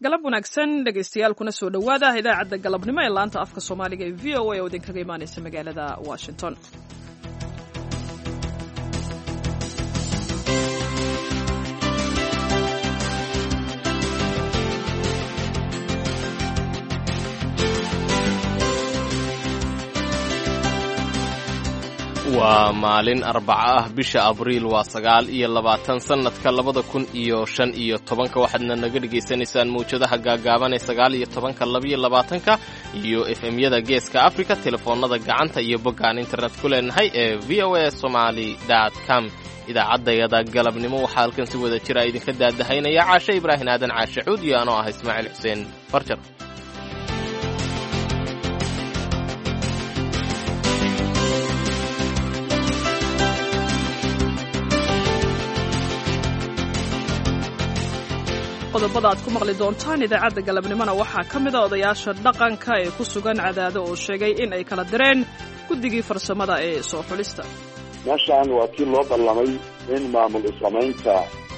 Galab wanaagsan, dhegaystayaal, kuna soo dhowaada idaacadda galabnimo ee laanta afka Soomaaliga ee VOA oo idinkaga imaanaysa magaalada Washington. Waa maalin Arbaco ah, bisha Abriil waa 29, sannadka 2015. Waxaadna naga dhegaysanaysaan mawjadaha gaagaaban ee 19-ka, 22-ka iyo FM-yada Geeska Africa, telefoonnada gacanta iyo boggaan internet ku leenahay ee VOA Somali com. Idaacaddayada galabnimo waxaa halkan si wada jira idinka daadahaynaya Caashe Ibraahin Aadan, Caashe Cuud, iyo anoo ah Ismaaciil Xuseen Farjar. Qodobada aad ku maqli doontaan idaacadda galabnimona waxaa ka mid a odayaasha dhaqanka ee ku sugan Cadaado oo sheegay in ay kala direen guddigii farsamada ee soo xulista. Meeshaan waa kii loo ballamay in maamul isamaynta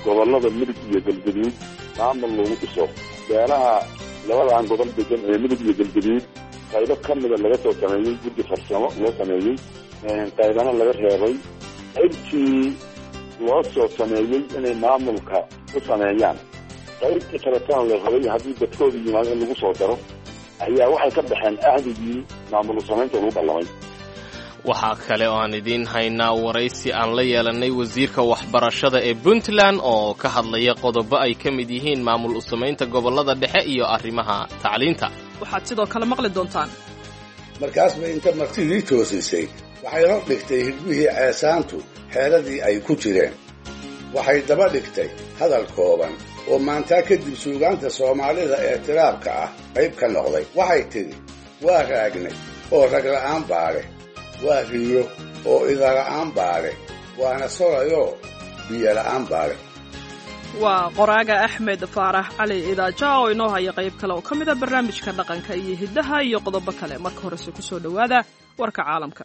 gobollada Mudug iyo Galgaduud maamul lagu dhiso. Beelaha labadan gobol degan ee Mudug iyo Galgaduud qaybo ka mida laga soo sameeyey guddi farsamo loo sameeyey, qaybana laga reebay. Qaybtii loo soo sameeyey inay maamulka u sameeyaan, qaybtii kaletana la rabay haddii dadkooda yimaado in lagu soo daro, ayaa waxay ka baxeen ahdigii maamul samaynta lagu ballamay. Waxaa kale oo aan idiin haynaa waraysi aan la yeelannay wasiirka waxbarashada ee Puntland oo ka hadlaya qodobo ay ka mid yihiin maamul u samaynta gobollada dhexe iyo arrimaha tacliinta. Waxaad sidoo kale maqli doontaan. Markaas bay inta martidii toosisay waxay hor dhigtay higbihii ceesaantu xeeladii ay ku jireen. Waxay daba dhigtay hadal kooban oo maantaa kadib suugaanta Soomaalida ee tiraabka ah qayb ka noqday. Waxay tidhi: "Waa raagnay oo ragla'aan baale, waa riyo oo idala'aan baale, waana sorayoo biyola'aan baale." Waa qoraaga Axmed Faarax Cali Idaaja oo inoo haya qayb kale oo ka mid a barnaamijka dhaqanka iyo hiddaha iyo qodobo kale. Marka horese ku soo dhowaada warka caalamka.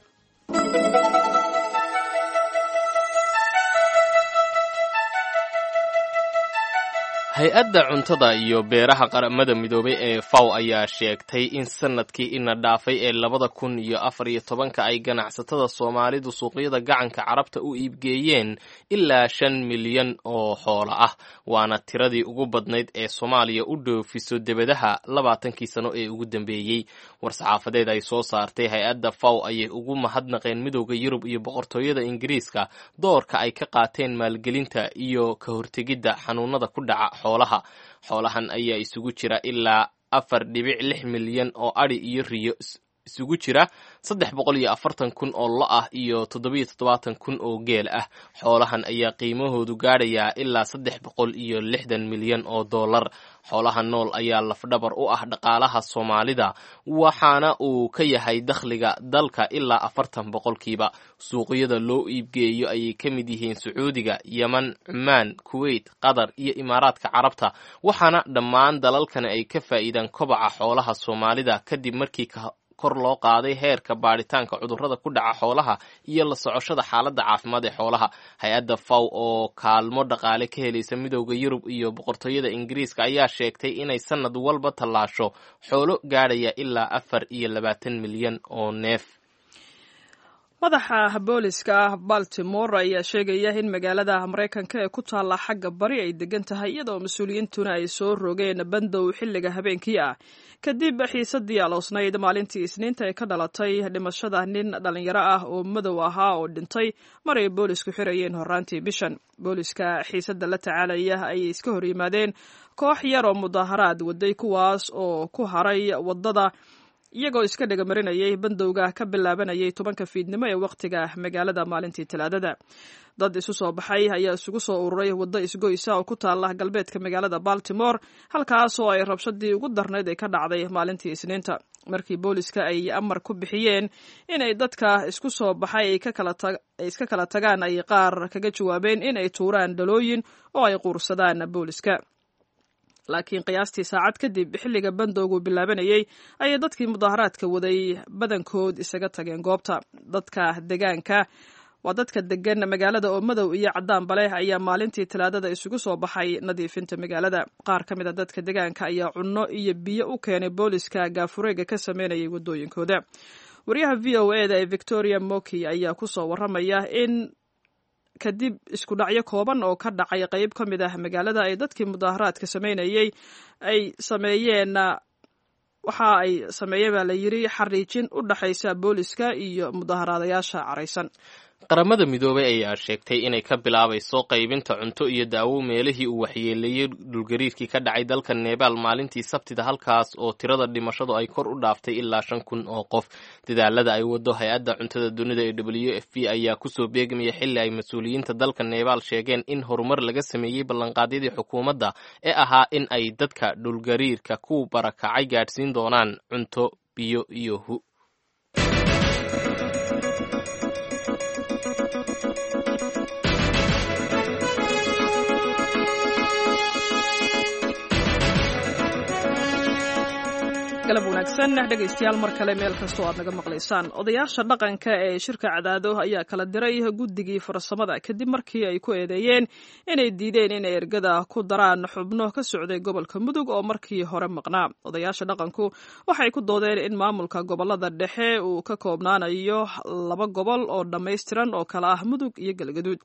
Hay-adda cuntada iyo beeraha Qaramada Midoobay ee FAW ayaa sheegtay in sanadkii ina dhaafay ee 2014-ka ay ganacsatada Soomaalidu suuqyada gacanka Carabta u iibgeeyeen ilaa 5 milyan oo xoolo ah, waana tiradii ugu badnayd ee Soomaaliya u dhoofiso debadaha 20-kii sano ee ugu dambeeyey. War-saxaafadeed ay soo saartay hay-adda FAW ayay ugu mahadnaqeen Midooda Yurub iyo Boqortooyada Ingiriiska doorka ay ka qaateen maalgelinta iyo ka hortegidda xanuunada ku dhaca xoolaha. Xoolahan ayaa isugu jira ilaa 4.6 milyan oo adhi iyo riyo isugu jira, 340,000 oo lo ah iyo 77,000 oo geel ah. Xoolahan ayaa qiimahoodu gaadhayaa ilaa 360 milyan oo dollar. Xoolaha nool ayaa lafdhabar u ah dhaqaalaha Soomaalida, waxaana uu ka yahay dakhliga dalka ilaa 40%. Suuqyada loo iibgeeyo ayay ka mid yihiin Sacuudiga, Yeman, Cumaan, Kuweyt, Qatar iyo Imaaraadka Carabta, waxaana dhammaan dalalkani ay ka faa'iidaan kobaca xoolaha Soomaalida kadib markii kor loo qaaday heerka baadhitaanka cudurrada ku dhaca xoolaha iyo la socoshada xaaladda caafimaad ee xoolaha. Hay-adda FAW oo kaalmo dhaqaale ka helaysa Midooda Yurub iyo Boqortooyada Ingiriiska ayaa sheegtay inay sanad walba tallaasho xoolo gaadhaya ilaa 24 milyan oo neef. Madaxa booliska Baltimore ayaa sheegaya in magaalada Maraykanka ee ku taalla xagga bari ay degan tahay, iyadoo mas-uuliyiintuna ay soo rogeen bandow xilliga habeenkii ah, kadib xiisadii aloosnayd maalintii Isniinta ee ka dhalatay dhimashada nin dhalinyaro ah oo madow ahaa oo dhintay mar ay boolisku xirayeen horaantii bishan. Booliska xiisadda la tacaalaya ayay iska hor yimaadeen koox yar oo mudaaharaad waday, kuwaas oo ku haray waddada iyagoo iska dhegamarinayay bandowga ka bilaabanayay 10-ka fiidnimo ee wakhtiga magaalada maalintii Talaadada. Dad isu soo baxay ayaa isugu soo ururay waddo isgoysa oo ku taala galbeedka magaalada Baltimore, halkaas oo ay rabshadii ugu darnayd ay ka dhacday maalintii Isniinta, markii booliska ay amar ku bixiyeen inay dadka isku soo baxay ay iska kala tagaan, ay qaar kaga jawaabeen in ay tuuraan dhalooyin oo ay quursadaan booliska. Laakiin qiyaastii saacad kadib xilliga bandowgu bilaabanayay ayay dadkii mudaaharaadka waday badankood isaga tageen goobta. Dadka degaanka Waa dadka degan magaalada oo madow iyo caddaanba leh ayaa maalintii Talaadada isugu soo baxay nadiifinta magaalada. Qaar ka mid a dadka degaanka ayaa cunno iyo biyo u keenay booliska gaafureega ka sameynayay waddooyinkooda. Wariyaha VOA da ee Victoria Moki ayaa kusoo waramaya in kadib isku dhacyo kooban oo ka dhacay qeyb ka mid ah magaalada ay dadkii mudaaharaadka sameynayay ay sameeyeen, waxa ay sameeyeen baa la yiri xariijin u dhaxaysa booliska iyo mudaaharaadayaasha caraysan. Qaramada Midoobay ayaa sheegtay inay ka bilaabayso qaybinta cunto iyo daawo meelihii uu waxyeeleeyey dhulgariirkii ka dhacay dalka Nebaal maalintii Sabtida, halkaas oo tirada dhimashadu ay kor u dhaaftay ilaa 5000 oo qof. Dadaalada ay wado hay-adda cuntada dunida ee WFP ayaa kusoo beegmaya xilli ay mas-uuliyiinta dalka Nebaal sheegeen in horumar laga sameeyey ballanqaadyadii xukuumadda ee ahaa in ay dadka dhulgariirka ku barakacay gaadhsiin doonaan cunto, biyo iyo hu. Galab wanaagsan dhegaystayaal, mar kale meel kastoo aad naga maqlaysaan. Odayaasha dhaqanka ee shirka Cadaado ayaa kala diray guddigii farsamada kadib markii ay ku eedeeyeen inay diideen inay ergada ku daraan xubno ka socday gobolka Mudug oo markii hore maqnaa. Odayaasha dhaqanku waxay ku doodeen in maamulka gobolada dhexe uu ka koobnaanayo laba gobol oo dhammaystiran oo kala ah Mudug iyo Galgaduud.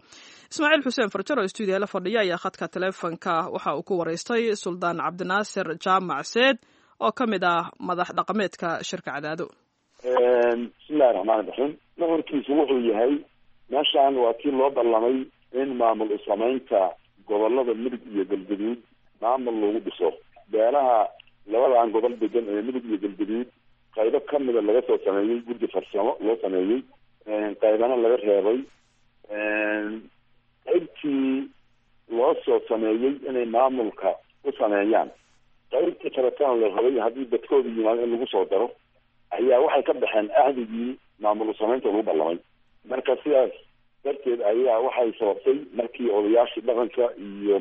Ismaaciil Xuseen Farjar oo stuudiyaha la fadhiya ayaa khadka taleefonka waxa uu ku waraystay Suldaan Cabdinaasir Jaamac Seed oo ka mid ah madax dhaqameedka shirka Cadaado. Bismillahi raxmaani raxiim. Nuxurkiisu wuxuu yahay, meeshaan waa kii loo ballamay in maamul usamaynta gobolada Mudug iyo Galgaduud maamul lagu dhiso. Beelaha labadan gobol degan ee Mudug iyo Galgaduud qaybo kamida laga soo sameeyey guddi farsamo loo sameeyey, qaybana laga reebay. Qaybtii loo soo sameeyey inay maamulka u sameeyaan, qaybtii kaletana la rabay haddii dadkooda yimaado in lagu soo daro, ayaa waxay ka baxeen ahdigii maamul usamaynta lagu ballamay. Marka sidaas darteed ayaa waxay sababtay markii odayaashii dhaqanka iyo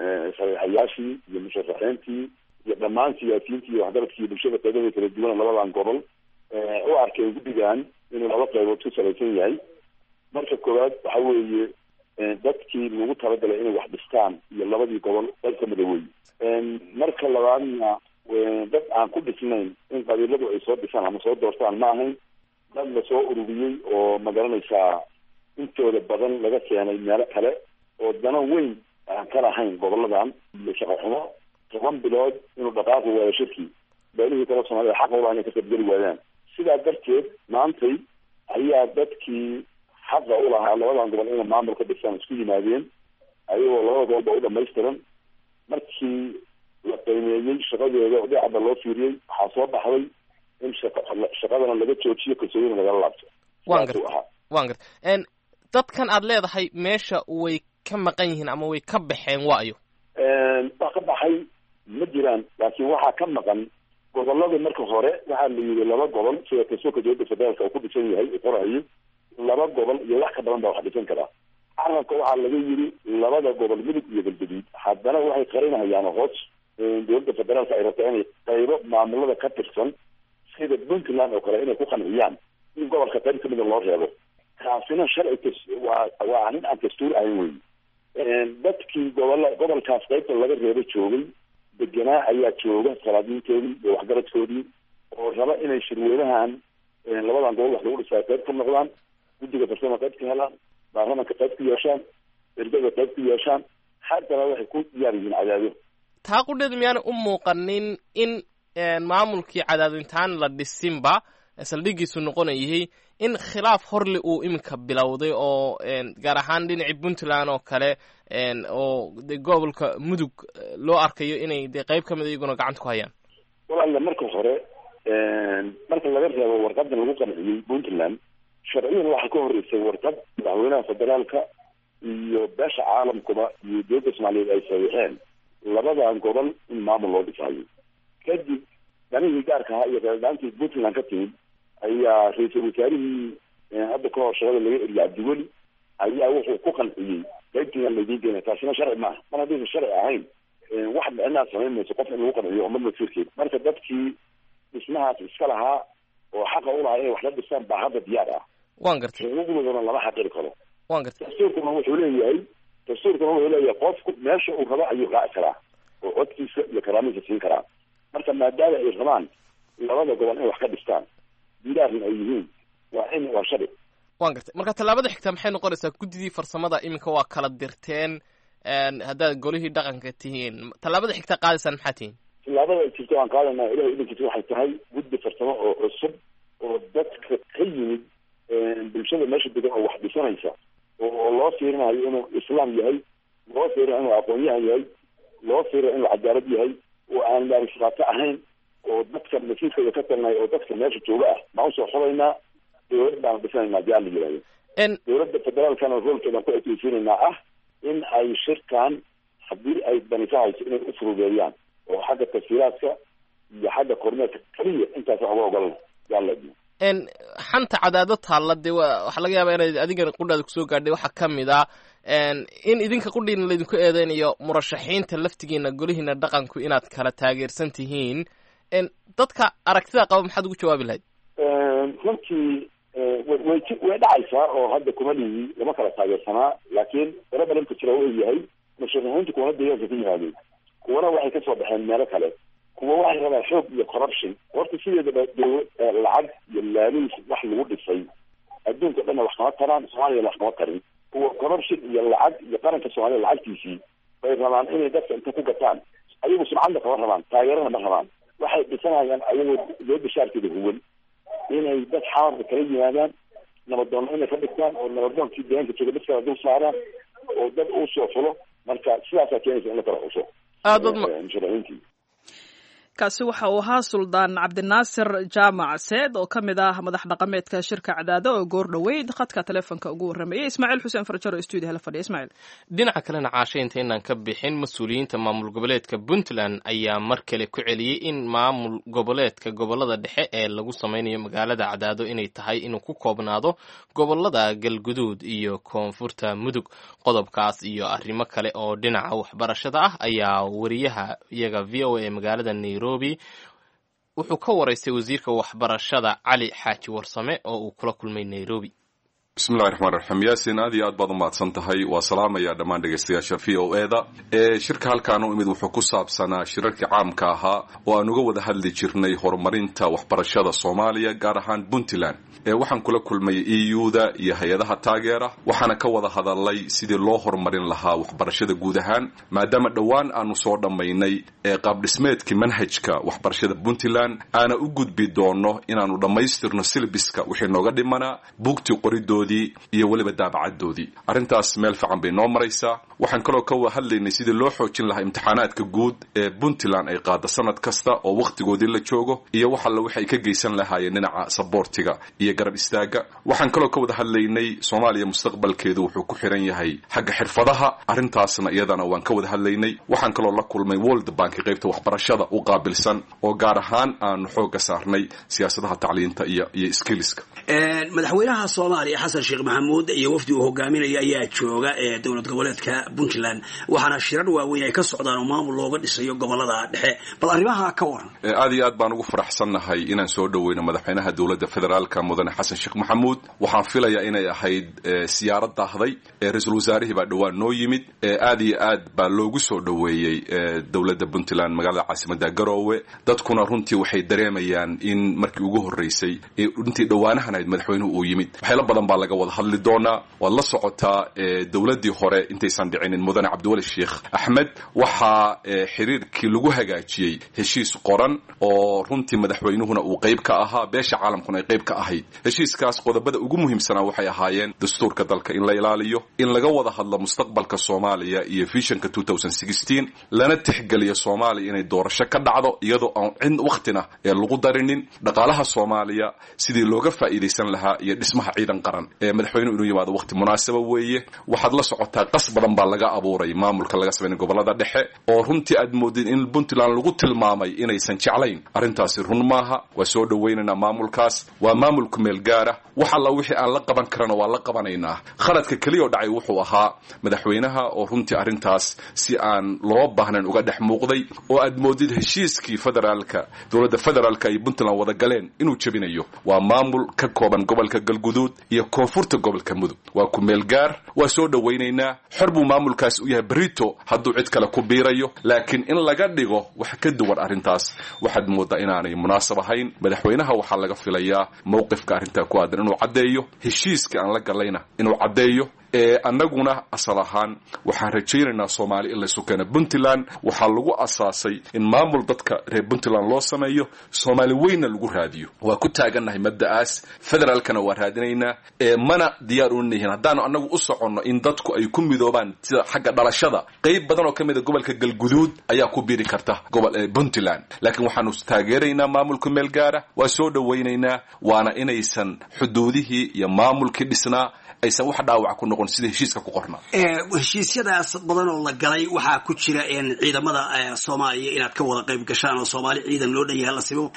saxiixayaashii iyo musharaxiintii iyo dhammaan siyaasiyiintii iyo waxgaradkii bulshada qaybada kala duwan labadan gobol u arkeen guddigan inuu laba qaybood ku salaysan yahay. Marka koowaad waxa weeye dadkii lagu talagalay inay wax dhistaan iyo labadii gobol qayb kamida wey. Marka labaadna dad aan ku dhisnayn in qabiiladu ay soo dhisaan ama soo doortaan ma ahayn, dad lasoo ururiyey oo magaranaysaa intooda badan laga keenay meelo kale oo dano weyn aan ka lahayn goboladan iyo shaqo xumo. 10 bilood inuu dhaqaaqi waayo shirkii, beelihii kale Soomaalida xaqa ulaa inay ka qaybgeli waayaan. Sidaa darteed maantay ayaa dadkii xaqa u lahaa labadan gobol inay maamul ka dhisaan isku yimaadeen, ayagoo labada gobolba u dhamaystiran. Markii la qiimeeyey shaqadooda oo dhinacba loo fiiriyey, waxaa soo baxday in shaqadana laga joojiyo, kalsoonina lagala laabto. Waan garta, waan garta. Dadkan aad leedahay meesha way ka maqan yihiin ama way ka baxeen waayo? Wax ka baxay ma jiraan, laakiin waxaa ka maqan gobolada. Marka hore waxaa la yidhi laba gobol, sida kalsoonka dowladda federaalka uu ku dhisan yahay uu qorayo, laba gobol iyo wax ka badan baa wax dhisan karaa. Carabka waxaa laga yidhi labada gobol Mudug iyo Galgaduud. Haddana waxay qarinahayaan hoos dowladda federaalka ay rabtaa inay qaybo maamulada ka tirsan sida Puntland oo kale inay ku qanciyaan in gobolka qayb kamida loo reebo. Taasina sharci waa arrin aan dastuur ahayn wey. Dadkii gobola gobolkaas qaybta laga reebo joogay deganaa ayaa jooga salaadiintoodii iyo waxgaradkoodii oo raba inay shirweynahan labadan gobol wax lagu dhisaa qayb ka noqdaan, guddiga farsama qayb ka helaan, baarlamanka qayb ku yeeshaan, ergada qayb ku yeeshaan. Haddana waxay ku diyaar yihiin Cadaado. Taa qudheed miyaana u muuqanin in maamulkii Cadaado intaan la dhisinba saldhigiisu noqonayay in khilaaf horli uu iminka bilowday, oo gaar ahaan dhinacii Puntland oo kale oo de gobolka Mudug loo arkayo inay dee qayb ka mid iyaguna gacanta ku hayaan? Walaala, marka hore marka laga reebo warqadan lagu qanciyey Puntland, sharciyan waxaa ka horreysay warqad madaxweynaha federaalka iyo beesha caalamkuba iyo dowladda Soomaaliyeed ay saxiixeen labadan gobol in maamul loo dhisaayo. Kadib danihii gaarka ahaa iyo qeeldhaantii Puntland ka timid ayaa ra-iisul wasaarihii hadda ka hor shaqada laga eriyay Cabdiweli ayaa wuxuu ku qanciyey qaybtiinan laydiin keenay. Taasina sharci maaha. Mar haddaysan sharci ahayn, wax micnaha samayn mayso qof in lagu qanciyo ummad masiirkeed. Marka dadkii dhismahaas iska lahaa oo xaqa u lahaa inay wax la dhisaan baa hadda diyaar ah. Waan gartay. Xuquuqdoodana lama xaqiri karo. Waan gartay. Dastuurkuna wuxuu leeyahay, dastuurkuna wuxuu leeyahay qofku meesha uu rabo ayuu raaci karaa oo codkiisa iyo karaamadiisa siin karaa. Marka maadaama ay rabaan labada gobol inay wax ka dhistaan, diyaarna ay yihiin, waa in waa sharci. Waan gartay. Marka tallaabada xigta maxay noqonaysaa? Guddidii farsamada iminka waa kala dirteen, haddaad golihii dhaqanka tihiin, tallaabada xigta qaadaysaan maxaa tihiin? Tallaabada ay jirto aan qaadanaa Ilahay idankiisa waxay tahay guddi farsamo oo cusub oo dadka ka yimid bulshada meesha degan oo wax dhisanaysa, oo loo fiirinayo inuu islaam yahay, loo fiirinayo inuu aqoon-yahan yahay, loo fiirinayo inuu cadaalad yahay, oo aan laarishqaato ahayn, oo dadka masiirkooda ka talinayo oo dadka meesha jooga ah baan usoo xulaynaa. Dowlad baana dhisanaynaa diyaar la yihahdo. Dowladda federaalkana roolkeedaan ku ekeysiinaynaa ah in ay shirkan haddii ay banisahayso inay u furudeeyaan oo xagga tafsiiraadka iyo xagga kormeerka keliya intaas wax uga ogolna yaalad. Xanta cadaado taalla dee waxaa laga yaabaa inaad adigana qudhaada kusoo gaadhay. Waxaa ka mid ah in idinka qudhiina laydinku eedeynayo murashaxiinta laftigiina golihiina dhaqanku inaad kala taageersan tihiin. Dadka aragtida qaba maxaad ugu jawaabi lahayd? Runtii way way dhacaysaa oo hadda kuma lihi lama kala taageersanaa, laakiin problemka jira wuxuu yahay musharaxiintu kuwana deegaanka ka yimaadeen, kuwana waxay kasoo baxeen meelo kale, kuwa waxay rabaan xoog iyo corruption. Horta sideedaba lacag iyo laaluus wax lagu dhisay adduunka dhanna wax kama taraan, Soomaaliyana wax kama tarin. Kuwa corruption iyo lacag iyo qaranka Soomaaliya lacagtiisii bay rabaan inay dadka inta ku gataan, ayagu sumcadna kama rabaan, taageerana ma rabaan. Waxay dhisanayaan ayagoo dowladda shaarkeeda huwan inay dad xamarka kala yimaadaan, nabadoonna inay ka dhigtaan oo nabadoonkii deegaanka jooga dad kala dul saaraan oo dad uu soo fulo. Marka sidaasaa keenaysa in la kala xuso musharaxiintii. Kaasi waxa uu ahaa Suldaan Cabdinaasir Jaamac Seed oo ka mid ah madax dhaqameedka shirka Cadaado oo goor dhoweyd khadka taleefonka ugu warramayay Ismaaciil Xuseen Farjaro, stuudiyaha la fadhiya. Ismaaciil, dhinaca kalena caasha inta inaan ka bixin, mas-uuliyiinta maamul goboleedka Puntland ayaa mar kale ku celiyey in maamul goboleedka gobolada dhexe ee lagu sameynayo magaalada Cadaado inay tahay inuu ku koobnaado gobolada Galguduud iyo Koonfurta Mudug. Qodobkaas iyo arrimo kale oo dhinaca waxbarashada ah ayaa wariyaha iyaga VOA ee magaalada Nairobi wuxuu ka waraystay wasiirka waxbarashada Cali Xaaji Warsame oo uu kula kulmay Nairobi. Bismillahi raxmaan raxiim. Yaasin, aad iyo aad baad umahadsan tahay. Waa salaamaya dhammaan dhegaystayaasha VOA da. Shirka halkaan u imid wuxuu ku saabsanaa shirarkii caamka ahaa oo aan uga wada hadli jirnay horumarinta waxbarashada Soomaaliya, gaar ahaan Puntland. Waxaan kula kulmay EU-da iyo hay-adaha taageera, waxaana ka wada hadalay sidii loo horumarin lahaa waxbarashada guud ahaan, maadaama dhowaan aanu soo dhammaynay qaabdhismeedkii manhajka waxbarashada Puntland, aana u gudbi doono inaanu dhammaystirno silbiska wixii nooga dhimanaa, buugtii qoridoodii iyo weliba daabacadoodii. Arrintaas meel fiican bay noo maraysaa. Waxaan kaloo ka hadlaynay sidii loo xoojin lahaa imtixaanaadka guud ee Puntland ay qaada sanad kasta oo wakhtigoodii la joogo, iyo wax alle waxay ka geysan lahaayeen dhinaca saboortiga iyo garab istaaga. Waxaan kaloo ka wada hadlaynay Soomaaliya mustaqbalkeedu wuxuu ku xiran yahay xagga xirfadaha, arrintaasna iyadana waan ka wada hadlaynay. Waxaan kaloo la kulmay World Bank qaybta waxbarashada u qaabilsan oo gaar ahaan aanu xoogga saarnay siyaasadaha tacliinta iyo skillska. Madaxweynaha Soomaaliya Xasan Sheekh Maxamuud iyo wafdi uu hogaaminaya ayaa jooga ee dowlad goboleedka Puntland, waxaana shirar waaweyn ay ka socdaan oo maamul looga dhisayo gobolada dhexe. Bal arrimaha ka waran. Aad iyo aad baan ugu faraxsannahay inaan soo dhoweyno madaxweynaha dowladda federaalka mudane Xasan Sheekh Maxamuud. Waxaan filayaa inay ahayd siyaarad daahday. Ra-iisul wasaarihii baa dhowaan noo yimid. Aad iyo aad baa loogu soo dhoweeyey dowladda Puntland magaalada caasimadda Garoowe. Dadkuna runtii waxay dareemayaan in markii ugu horreysay runtii dhowaanahan ahayd madaxweynuhu uu yimid. Waxyaalo badan baa laga wada hadli doonaa. Waad la socotaa dowladdii hore intaysan dhicinin mudane Cabdiweli Sheekh Axmed waxaa xiriirkii lagu hagaajiyey heshiis qoran oo runtii madaxweynuhuna uu qayb ka ahaa, beesha caalamkuna ay qayb ka ahayd. Heshiiskaas qodobada ugu muhiimsanaa waxay ahaayeen dastuurka dalka in la ilaaliyo, in laga wada hadlo mustaqbalka Soomaaliya iyo visionka 2016, lana tixgeliyo Soomaaliya inay doorasho ka dhacdo iyadoo aan cid wakhtina ee lagu darinin, dhaqaalaha Soomaaliya sidii looga faa'iidaysan lahaa iyo dhismaha ciidan qaran. Madaxweynuhu inuu yimaado waqti munaasaba weeye. Waxaad la socotaa qas badan baa laga abuuray maamulka laga sameynay gobolada dhexe, oo runtii aad moodid in Puntland lagu tilmaamay inaysan jeclayn. Arrintaasi run maaha. Waa soo dhawaynaynaa maamulkaas, waa maamulku meel gaara. Wax alla wixii aan la qaban karana waa la qabanaynaa. Khaladka keliya oo dhacay wuxuu ahaa madaxweynaha oo runtii arrintaas si aan loo baahnayn uga dhex muuqday, oo aad moodid heshiiskii federaalka, dowladda federaalka ay Puntland wada galeen inuu jebinayo. Waa maamul ka kooban gobolka Galguduud iyo koonfurta gobolka Mudug, waa ku meel gaar, waa soo dhawaynaynaa. Xor buu maamulkaas u yahay berito hadduu cid kale ku biirayo, laakiin in laga dhigo wax ka duwan arrintaas waxaad moodaa inaanay munaasab ahayn. Madaxweynaha waxaa laga filayaa mowqifka arrintaa ku aadan inuu caddeeyo, heshiiska aan la galayna inuu caddeeyo. Annaguna asal ahaan waxaan rajaynaynaa Soomaali in laysu keeno. Puntland waxaa lagu asaasay in maamul dadka reer Puntland loo sameeyo, Soomaali weynna lagu raadiyo. Waa ku taagannahay mabda'aas, federaalkana waa raadinaynaa, mana diyaar u nihin haddaanu annagu u soconno in dadku ay ku midoobaan sida xagga dhalashada. Qayb badan oo ka mid a gobolka Galguduud ayaa ku biiri karta gobol Puntland, laakiin waxaanu taageeraynaa maamulka meel gaara, waa soo dhawaynaynaa, waana inaysan xuduudihii iyo maamulkii dhisnaa aysan wax dhaawac ku noqon sida heshiiska ku qornaa. Heshiisyadaas badan oo la galay waxaa ku jira ciidamada Soomaaliya inaad ka wada qayb gashaan oo Soomaali ciidan loo dhan yahay la simo.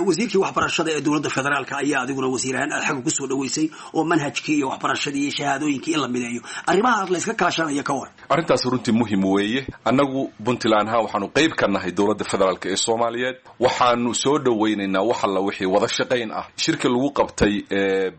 Wasiirkii waxbarashada ee dowladda federaalka ayaa adiguna wasiir ahaan aad xagga kusoo dhaweysay oo manhajkii iyo waxbarashadii iyo shahaadooyinkii in la mideeyo, arrimahaas la iska kaashanayo ka war. Arrintaas runtii muhim weeye. Annagu Puntland ahaan waxaanu qayb ka nahay dowladda federaalka ee Soomaaliyeed. Waxaanu soo dhawaynaynaa wax alla wixii wada shaqayn ah. Shirka lagu qabtay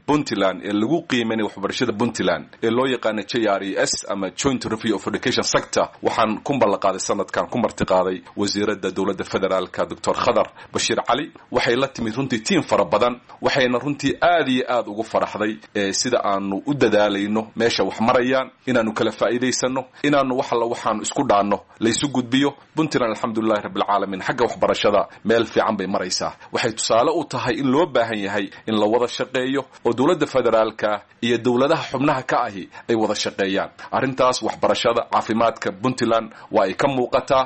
Puntland ee lagu qiimaynay waxbarashada Puntland ee loo yaqaana JRES ama Joint Review of Education Sector, waxaan ku ballanqaaday sanadkan ku martiqaaday wasiiradda dowladda federaalka Dr. Khadar Bashiir Cali. Waxay la timid runtii tiim fara badan, waxayna runtii aad iyo aad ugu faraxday sida aanu u dadaalayno, meesha wax marayaan, inaanu kala faa'iidaysano, inaanu wax alla waxaanu isku dhaanno laysu gudbiyo. Puntland alxamdulillahi rabbilcaalamiin xagga waxbarashada meel fiican bay maraysaa. Waxay tusaale u tahay in loo baahan yahay in la wada shaqeeyo oo dowladda federaalka iyo dowladaha xubnaha ka ahi ay wada shaqeeyaan. Arrintaas waxbarashada, caafimaadka Puntland waa ay ka muuqataa.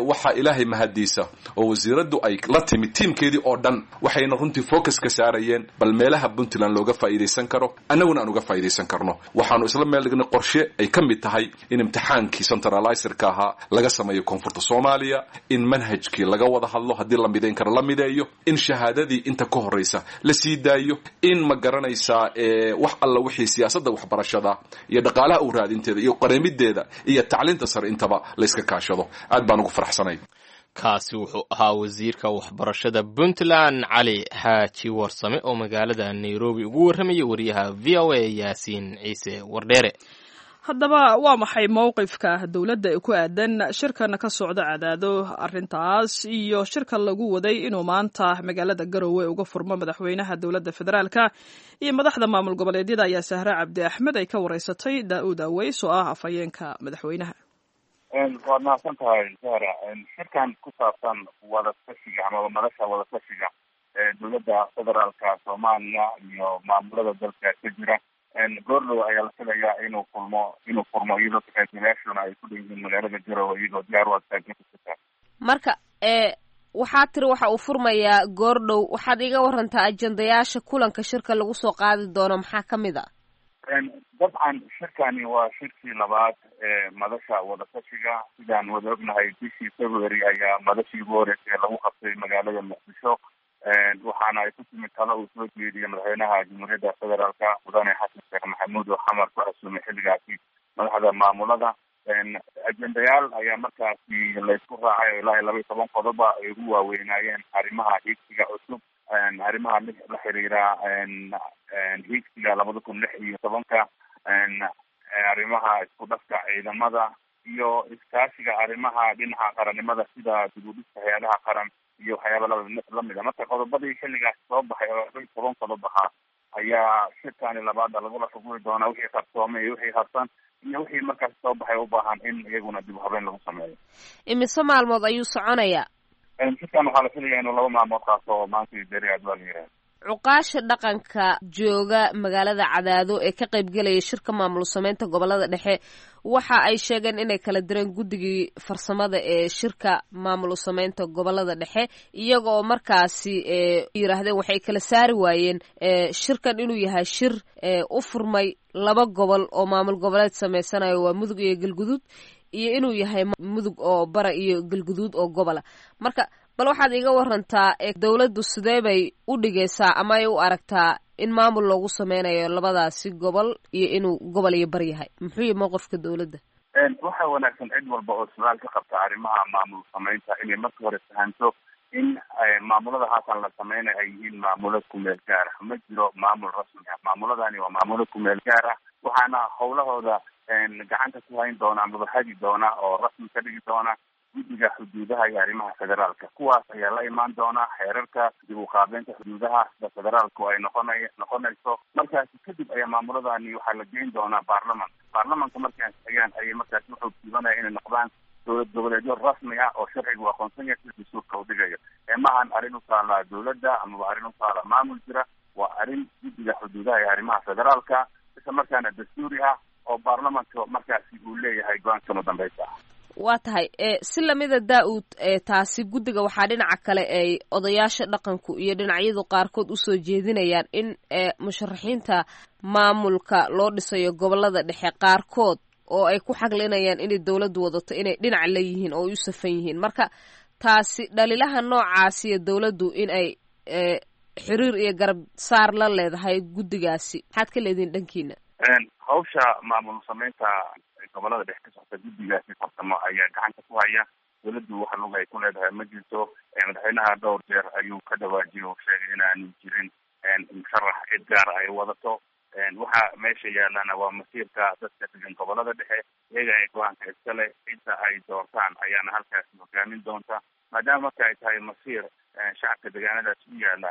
Waxaa Ilaahay mahadiisa oo wasiiraddu ay la timid tiimkeedii oo dhan, waxayna runtii focus ka saarayeen bal meelaha Puntland looga faa'iidaysan karo, annaguna aan uga faa'iidaysan karno. Waxaanu isla meel dhignay qorshe ay ka mid tahay in imtixaankii centralizerka ahaa laga sameeyo koonfurta Soomaaliya, in manhajkii laga wada hadlo, haddii la midayn karo la mideeyo, in shahaadadii inta ka horreysa la sii daayo, in ma garanaysaa wax alla wixii siyaasadda waxbarashada iyo dhaqaalaha u raadinteeda iyo qareemideeda iyo tacliinta sare intaba la iska kaashado. Aad baan ugu faraxsanay. Kaasi wuxuu ahaa wasiirka waxbarashada Puntland Cali Xaaji Warsame oo magaalada Nairobi ugu warramayay wariyaha VOA Yaasiin Ciise Wardheere. Haddaba waa maxay mowqifka dowladda ee ku aadan shirkan ka socda Cadaado, arrintaas iyo shirka lagu waday inuu maanta magaalada Garowe uga furmo madaxweynaha dowladda federaalka iyo madaxda maamul goboleedyada, ayaa Sahre Cabdi Axmed ay ka wareysatay Daa-uud Aweys oo ah afhayeenka madaxweynaha. Waad mahadsan tahay Sahra. Shirkan ku saabsan wadatashiga amaba madasha wadatashiga ee dowladda federaalka Soomaaliya iyo maamulada dalka ka jira goordhow ayaa la filayaa inuu kulmo, inuu furmo, iyadoo ka-qaybgalayaashuna ay ku dhan yihiin magaalada Garowe iyagoo diyaar u ah. Marka waxaa tiri waxa uu furmayaa goordhow. Waxaad iga warantaa ajendayaasha kulanka shirka lagu soo qaadi doono, maxaa ka mid a? Dabcan shirkani waa shirkii labaad ee madasha wadatashiga. Sidaan wada ognahay, bishii February ayaa madashii ugu horeysay lagu qabtay magaalada Muqdisho, waxaana ay ku timid talo uu soo jeediyey madaxweynaha Jamhuuriyadda Federaalka Mudane Xasan Sheekh Maxamuud oo Xamar ku casuumay xilligaasi madaxda maamulada. Ajendayaal ayaa markaasi laysku raacay oo ilaa iyo 12 qodoba ay ugu waaweynaayeen arrimaha hiigsiga cusub, arrimaha la xiriira hiigsiga 2016-ka, arrimaha isku dhafka ciidamada iyo iskaashiga arrimaha dhinaca qarannimada sida dib u dhiska hay-adaha qaran iyo waxyaaba lamid a. Marka qodobadii xilligaas soo baxay oo 12 qodob ahaa ayaa shirkani labaada lagula xuguri doonaa, wixii qarsoomay iyo wixii harsan iyo wixii markaas soo baxay u baahan in iyaguna dib u habeyn lagu sameeyo. Imise maalmood ayuu soconayaa? Shirkan waxaa la filaya inuu 2 maalmood qaato, maanta iyo beri aad waa la yidhaha. Cuqaasha dhaqanka jooga magaalada Cadaado ee ka qaybgelaya shirka maamul sameynta gobolada dhexe waxa ay sheegeen inay kala direen guddigii farsamada ee shirka maamul sameynta gobolada dhexe, iyaga oo markaasi yiraahdeen waxay kala saari waayeen shirkan inuu yahay shir u furmay laba gobol oo maamul goboleed sameysanayo, waa Mudug iyo Galguduud, iyo inuu yahay Mudug oo bara iyo Galguduud oo gobola. Marka bal waxaad iga warantaa, dowladdu sidee bay u dhigaysaa ama ay u aragtaa in maamul loogu sameynayo labadaasi gobol iyo inuu gobol iyo bar yahay? Muxuu yahay mowqifka dowladda? Waxaa wanaagsan cid walba oo su-aal ka qabta arrimaha maamul sameynta inay marka hore fahanto in maamulada haatan la sameynayo ay yihiin maamulo kumeel gaar ah. Ma jiro maamul rasmi ah, maamuladani waa maamulo kumeel gaar ah, waxaana howlahooda gacanta ku hayn doona amaba hagi doona oo rasmi ka dhigi doona guddiga xuduudaha iyo arrimaha federaalka. Kuwaas ayaa la imaan doona xeerarka dib u qaabeynta xuduudaha sida federaalku ay noqonayso. Markaasi kadib ayaa maamuladani waxaa la geyn doonaa baarlaman. Baarlamanka markay ansixiyaan ayay markaasi wuxuu siibanaya inay noqdaan dowlad goboleedyo rasmi ah oo sharcigu aqoonsan yahay sida dastuurka u dhigayo. Maahan arrin u taala dowladda amaba arrin u taala maamul jira, waa arrin guddiga xuduudaha iyo arrimaha federaalka, isla markaana dastuuri ah oo baarlamanka markaasi uu leeyahay go-aankama dambaysa ah. Waa tahay. Si lamida Daa-uud, taasi guddiga waxaa dhinaca kale ay odayaasha dhaqanku iyo dhinacyadu qaarkood usoo jeedinayaan in musharaxiinta maamulka loo dhisayo gobolada dhexe qaarkood oo ay ku xaglinayaan inay dowladdu wadato inay dhinac la yihiin oo ay u safan yihiin. Marka taasi dhalilaha noocaasiyo dowladdu in ay xiriir iyo garab saar la leedahay guddigaasi, maxaad ka leedihin dhankiina? Hawsha maamul sameynta gobolada dhexe ka socota guddigaasi farsamo ayaa gacanta ku haya. Dowladdu wax lug ay ku leedahay ma jirto. Madaxweynaha dhowr jeer ayuu ka dhawaajiyay oo sheegay inaanu jirin musharax cid gaara ay wadato. Waxa meesha yaalana waa masiirka dadka degan gobolada dhexe, iyaga ay go-aanka iskale, cidda ay doortaan ayaana halkaasi hogaamin doonta. Maadaama marka ay tahay masiir shacabka deegaanadaas u yaala,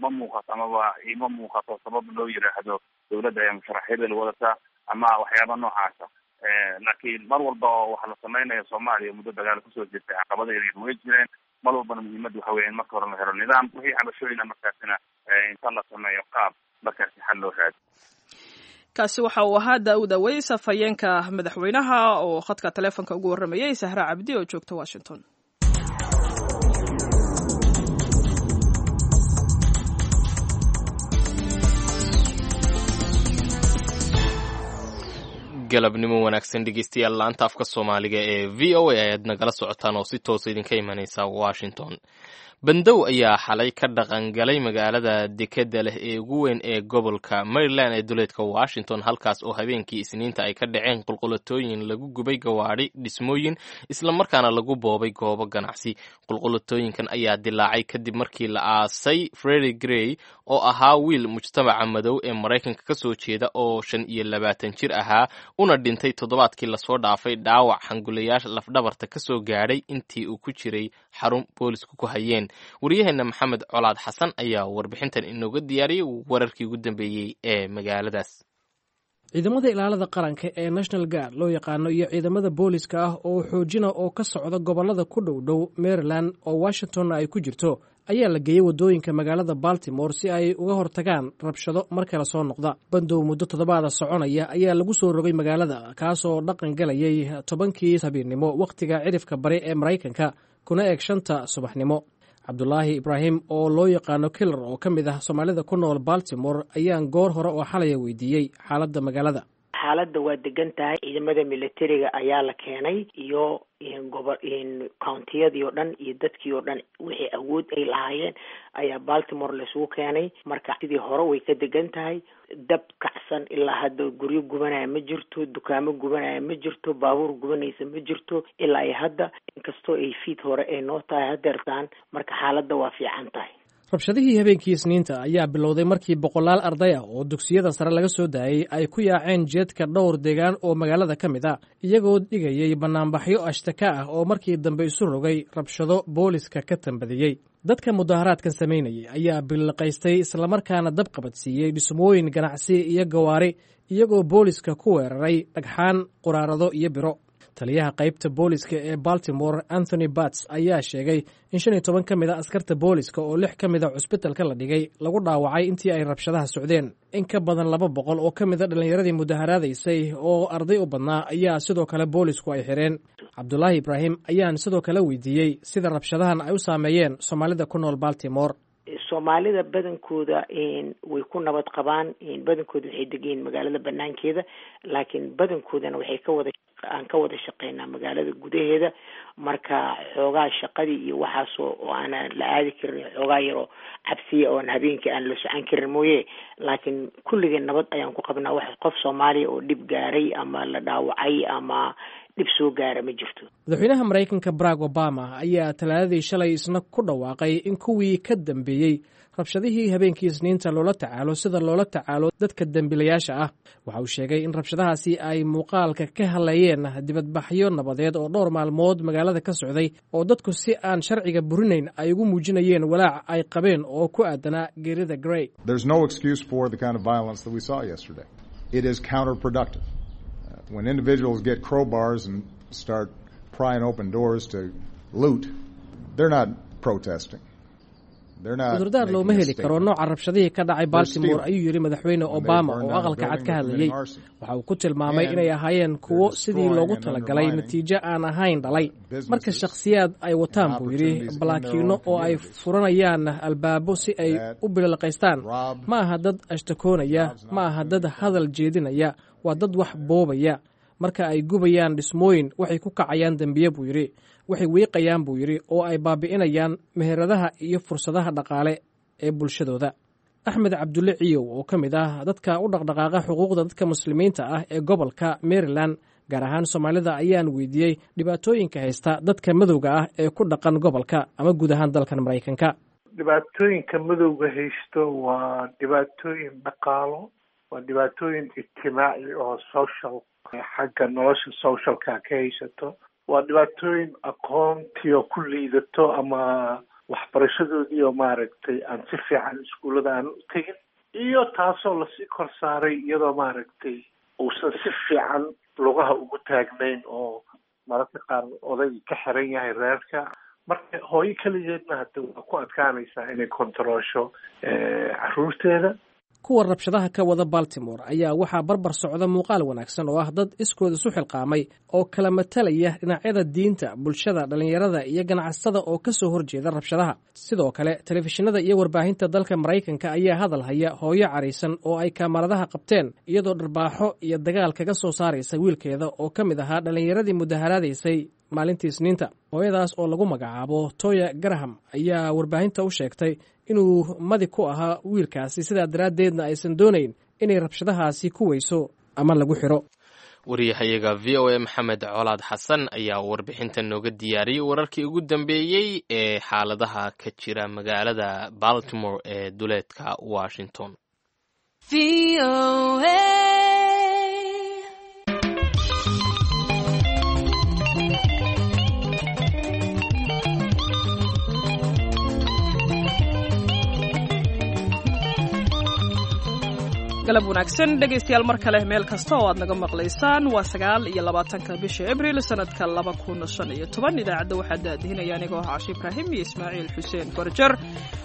ma muuqato amaba ima muuqato sabab loo yiraahdo dowladda ayaa musharax hebel wadata ama waxyaaba noocaasa. Laakiin mar walba oo waxa la sameynaya Soomaaliya muddo dagaal kusoo jirtay, caqabada yaryar way jireen. Mar walbana muhiimadda waxa weya in marka hore la helo nidaam, wixii cabashooyina markaasina inta la sameeyo qaab markaasi xal loo raadi. Kaasi waxa uu ahaa Daawud Aweys, afhayeenka madaxweynaha, oo khadka taleefonka ugu warramayay Sahra Cabdi oo joogta Washington. Galabnimo wanaagsan dhegeystayaal, laanta afka Soomaaliga ee VOA ayaad nagala socotaan oo si toosa idinka imanaysa Washington. Bandow ayaa xalay ka dhaqangalay magaalada dekeda leh ee ugu weyn ee gobolka Maryland ee duleedka Washington, halkaas oo habeenkii Isniinta ay ka dhaceen qulqulatooyin lagu gubay gawaadhi, dhismooyin, islamarkaana lagu boobay goobo ganacsi. Qulqulatooyinkan ayaa dilaacay kadib markii la aasay Freddie Gray oo ahaa wiil mujtamaca madow ee Maraykanka ka soo jeeda oo 25 jir ahaa, una dhintay toddobaadkii lasoo dhaafay dhaawac xangulayaasha lafdhabarta ka soo gaadhay intii uu ku jiray xarun boolisku ku hayeen. Waryaheena Maxamed Colaad Xasan ayaa warbixintan inooga diyaariyey wararkii ugu dambeeyey ee magaaladaas. Ciidamada ilaalada qaranka ee National Guard loo yaqaano iyo ciidamada booliska ah oo xoojina oo ka socda gobollada ku dhow dhow Maryland oo Washingtonna ay ku jirto ayaa la geeyey waddooyinka magaalada Baltimore si ay uga hortagaan rabshado mar kale soo noqda. Bandow muddo toddobaada soconaya ayaa lagu soo rogay magaalada, kaasoo dhaqan galayay 10-kii habeennimo wakhtiga cidhifka bari ee Maraykanka, kuna eg 5-ta subaxnimo. Cabdulaahi Ibraahim oo loo yaqaano Killer oo ka mid ah Soomaalida ku nool Baltimore ayaan goor hore oo xalaya weydiiyey xaaladda magaalada. Xaaladda waa degan tahay. Ciidamada militariga ayaa la keenay iyo gobo countiyadii oo dhan iyo dadkii oo dhan, wixii awood ay lahaayeen ayaa Baltimore laisugu keenay. Marka sidii hore way ka degan tahay. Dab kacsan ilaa hadda guryo gubanaya ma jirto, dukaamo gubanaya ma jirto, baabuur gubanaysa ma jirto ilaa ay hadda, inkastoo ay fiid hore ay noo tahay hadeertaan. Marka xaaladda waa fiican tahay. Rabshadihii habeenkii Isniinta ayaa bilowday markii boqolaal arday ah oo dugsiyada sare laga soo daayey ay ku yaaceen jeedka dhowr deegaan oo magaalada ka mid a, iyagoo dhigayay bannaanbaxyo ashtaka ah oo markii dambe isu rogay rabshado booliska ka tambadiyey. Dadka mudaharaadkan samaynayay ayaa billiqaystay islamarkaana dab qabadsiiyey dhismooyin ganacsi iyo gawaari, iyagoo booliska ku weeraray dhagxaan, quraarado iyo biro. Taliyaha qaybta booliska ee Baltimore, Anthony Bats, ayaa sheegay in 15 ka mid a askarta booliska oo 6 ka mid a cusbitalka la dhigay lagu dhaawacay intii ay rabshadaha socdeen. In ka badan 200 oo ka mid a dhallinyaradii mudaharaadaysay oo arday u badnaa ayaa sidoo kale boolisku ay xireen. Cabdulaahi Ibraahim ayaan sidoo kale weydiiyey sida rabshadahan ay u saameeyeen Soomaalida ku nool Baltimore. Soomaalida badankooda way ku nabad qabaan, badankooda waxay degayiin magaalada banaankeeda, laakiin badankoodana waxay kawada aan ka wada shaqeynaa magaalada gudaheeda. Marka xoogaa shaqadii iyo waxaasoo oo aanan la aadi karin, xoogaa yaroo cabsiya oon habeenkii aan la socon karin mooye, laakiin kulligeen nabad ayaan ku qabnaa. Wax qof Soomaaliya oo dhib gaaray ama la dhaawacay ama dhib soo gaara ma jirto. Madaxweynaha Maraykanka Barack Obama ayaa Talaadadii shalay isna ku dhawaaqay in kuwii ka dambeeyey rabshadihii habeenkii Isniinta loola tacaalo sida loola tacaalo dadka dembiilayaasha ah. Waxa uu sheegay in rabshadahaasi ay muuqaalka ka hadlayeen dibadbaxyo nabadeed oo dhowr maalmood magaalada ka socday, oo dadku si aan sharciga burinayn ay ugu muujinayeen walaac ay qabeen oo ku aadanaa geerida Gray. There's no excuse for the kind of violence that we saw yesterday. It is counterproductive. When individuals get crowbars and start prying open doors to loot, they're not protesting. Cudurdaar looma heli karo nooca rabshadihii ka dhacay Baltimore, ayuu yidhi Madaxweyne Obama oo Aqalka Cad ka hadlayey. Waxa uu ku tilmaamay inay ahaayeen kuwo sidii loogu talagalay natiijo aan ahayn dhalay. Marka shakhsiyaad ay wataan, buu yidhi, balaakiino oo ay furanayaan albaabo si ay u bililqaystaan, ma aha dad ashtakoonaya, ma aha dad hadal jeedinaya, waa dad wax boobaya. Marka ay gubayaan dhismooyin, waxay ku kacayaan dembiye, buu yidhi. Waxay wiiqayaan, buu yidhi, oo ay baabi'inayaan meheradaha iyo fursadaha dhaqaale ee bulshadooda. Axmed Cabdulle Ciyow oo ka mid ah dadka u dhaqdhaqaaqa xuquuqda dadka Muslimiinta ah ee gobolka Maryland, gaar ahaan Soomaalida, ayaan weydiiyey dhibaatooyinka haysta dadka madowga ah ee ku dhaqan gobolka ama guud ahaan dalkan Maraykanka. Dhibaatooyinka madowga haysto waa dhibaatooyin dhaqaalo, waa dhibaatooyin ijtimaaci oo social, xagga nolosha socialka ka haysato, waa dhibaatooyin aqoontii oo ku liidato ama waxbarashadoodii oo maaragtay aan si fiican iskuullada aan u tegin, iyo taasoo lasii kor saaray iyadoo maaragtay uusan si fiican lugaha ugu taagnayn oo mararka qaar oday ka xiran yahay reerka. Marka hooyo keligeedna hadda waa ku adkaanaysaa inay kontaroosho caruurteeda. Kuwa rabshadaha ka wada Baltimore ayaa waxaa barbar socda muuqaal wanaagsan oo ah dad iskood isu xilqaamay oo kala matalaya dhinacyada diinta, bulshada, dhallinyarada iyo ganacsatada oo ka soo horjeeda rabshadaha. Sidoo kale telefishinada iyo warbaahinta dalka Maraykanka ayaa hadal haya hooyo caraysan oo ay kaamaradaha qabteen iyadoo dharbaaxo iyo dagaal kaga soo saaraysa wiilkeeda oo ka mid ahaa dhallinyaradii mudaharaadaysay maalintii Isniinta. Hooyadaas oo lagu magacaabo Toya Graham ayaa warbaahinta u sheegtay inuu madi ku ahaa wiilkaasi, sidaa daraaddeedna aysan doonayn inay rabshadahaasi ku weyso ama lagu xiro. Wariyahayaga VOA Maxamed Colaad Xasan ayaa warbixintan nooga diyaariyey wararkii ugu dambeeyey ee xaaladaha ka jira magaalada Baltimore ee duleedka Washington. Galab wanaagsan dhegaystayaal, mar kale meel kasta oo aad naga maqlaysaan. Waa 29-ka bisha Abril sanadka 2015. Idaacadda waxaa daadihinaya anigoo ah Cashi Ibraahim iyo Ismaaciil Xuseen Gorjar.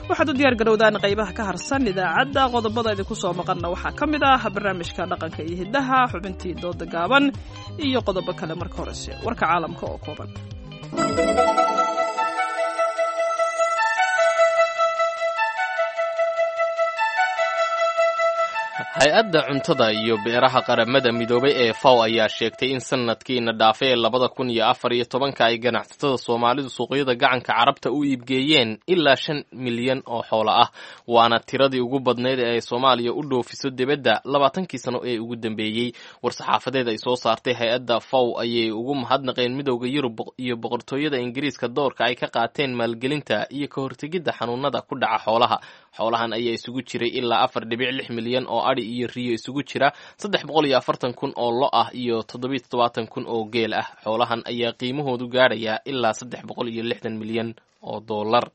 Waxaad u diyaar garowdaan qaybaha ka harsan idaacadda. Qodobada idinku soo maqanna waxaa ka mid ah barnaamijka dhaqanka iyo hiddaha, xubintii dooda gaaban iyo qodobo kale. Marka horese warka caalamka oo kooban. Hay-adda cuntada iyo beeraha Qaramada Midoobay ee FAO ayaa sheegtay in sanadkiina dhaafay ee 2014-ka ay ganacsatada Soomaalidu suuqyada gacanka Carabta u iibgeeyeen ilaa 5 milyan oo xoolo ah, waana tiradii ugu badnayd ee ay Soomaaliya u dhoofiso dibadda 20-kii sano ee ugu dambeeyey. War-saxaafadeed ay soo saartay hay-adda FAO ayay ugu mahadnaqeen Midowda Yurub iyo Boqortooyada Ingiriiska doorka ay ka qaateen maalgelinta iyo ka hortegidda xanuunada ku dhaca xoolaha. Xoolahan ayaa isugu jiray ilaa 4.6 milyan oo adhi iyo riyo isugu jira, 340,000 oo lo ah iyo 77,000 oo geel ah. Xoolahan ayaa qiimahoodu gaadhayaa ilaa 360 milyan oo dollar.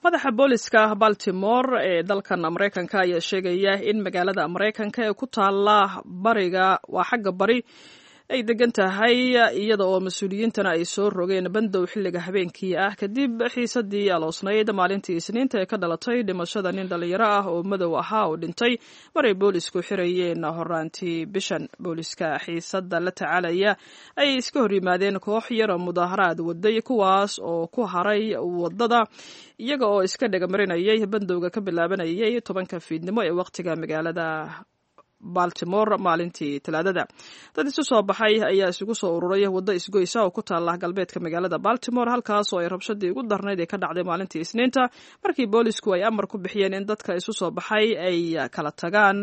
Madaxa booliska Baltimore ee dalkan Maraykanka ayaa sheegaya in magaalada Maraykanka ee ku taala bariga, waa xagga bari ay degan tahay, iyada oo mas-uuliyiintana ay soo rogeen bandow xilliga habeenkii ah kadib xiisadii aloosnayd maalintii Isniinta ee ka dhalatay dhimashada nin dhallinyaro ah oo madow ahaa oo dhintay maray boolisku xirayeen horaantii bishan. Booliska xiisada la tacaalaya ayay iska hor yimaadeen koox yaroo mudaaharaad waday, kuwaas oo ku haray wadada iyaga oo iska dhegamarinayay bandowga ka bilaabanayay 10-ka fiidnimo ee waqtiga magaalada Baltimore maalintii Talaadada. Dad isu soo baxay ayaa isugu soo ururay waddo isgoysa oo ku taala galbeedka magaalada Baltimore, halkaas oo ay rabshadii ugu darnayd ee ka dhacday maalintii Isniinta, markii boolisku ay amar ku bixiyeen in dadka isu soo baxay ay kala tagaan.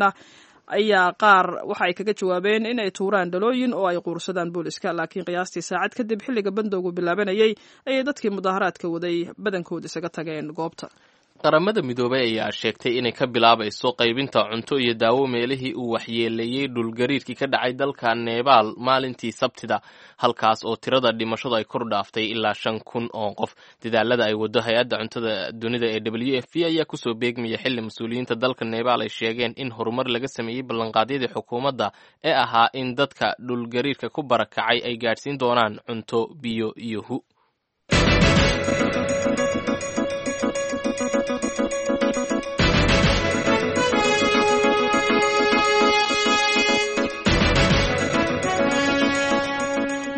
Ayaa qaar waxa ay kaga jawaabeen in ay tuuraan dhalooyin oo ay quursadaan booliska, laakiin qiyaastii saacad kadib xilliga bandowgu bilaabanayay ayay dadkii mudaharaadka waday badankood isaga tageen goobta. Qaramada Midoobay ayaa sheegtay inay ka bilaabayso qaybinta cunto iyo daawo meelihii uu waxyeeleeyey dhulgariirkii ka dhacay dalka Nebaal maalintii Sabtida, halkaas oo tirada dhimashadu ay kor dhaaftay ilaa 5000 oo qof. Dadaalada ay wado hay-adda cuntada dunida ee WFP ayaa kusoo beegmaya xilli mas-uuliyiinta dalka Nebaal ay sheegeen in horumar laga sameeyey ballanqaadyadii xukuumadda ee ahaa in dadka dhulgariirka ku barakacay ay gaadhsiin doonaan cunto, biyo iyo hu.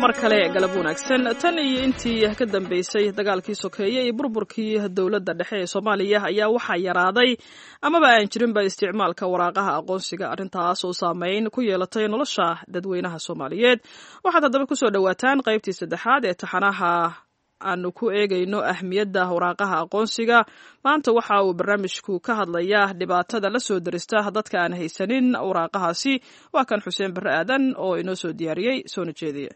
Mar kale galab wanaagsan. Tan iyo intii ka dambeysay dagaalkii sokeeye iyo burburkii dowladda dhexe ee Soomaaliya ayaa waxaa yaraaday amaba aan jirinba isticmaalka waraaqaha aqoonsiga, arrintaas oo saameyn ku yeelatay nolosha dadweynaha Soomaaliyeed. Waxaad haddaba kusoo dhowaataan qaybtii saddexaad ee taxanaha aanu ku eegayno ahmiyadda waraaqaha aqoonsiga. Maanta waxa uu barnaamijku ka hadlayaa dhibaatada la soo derista dadka aan haysanin waraaqahaasi. Waa kan Xuseen Barre Aadan oo inoo soo diyaariyey soona jeediye.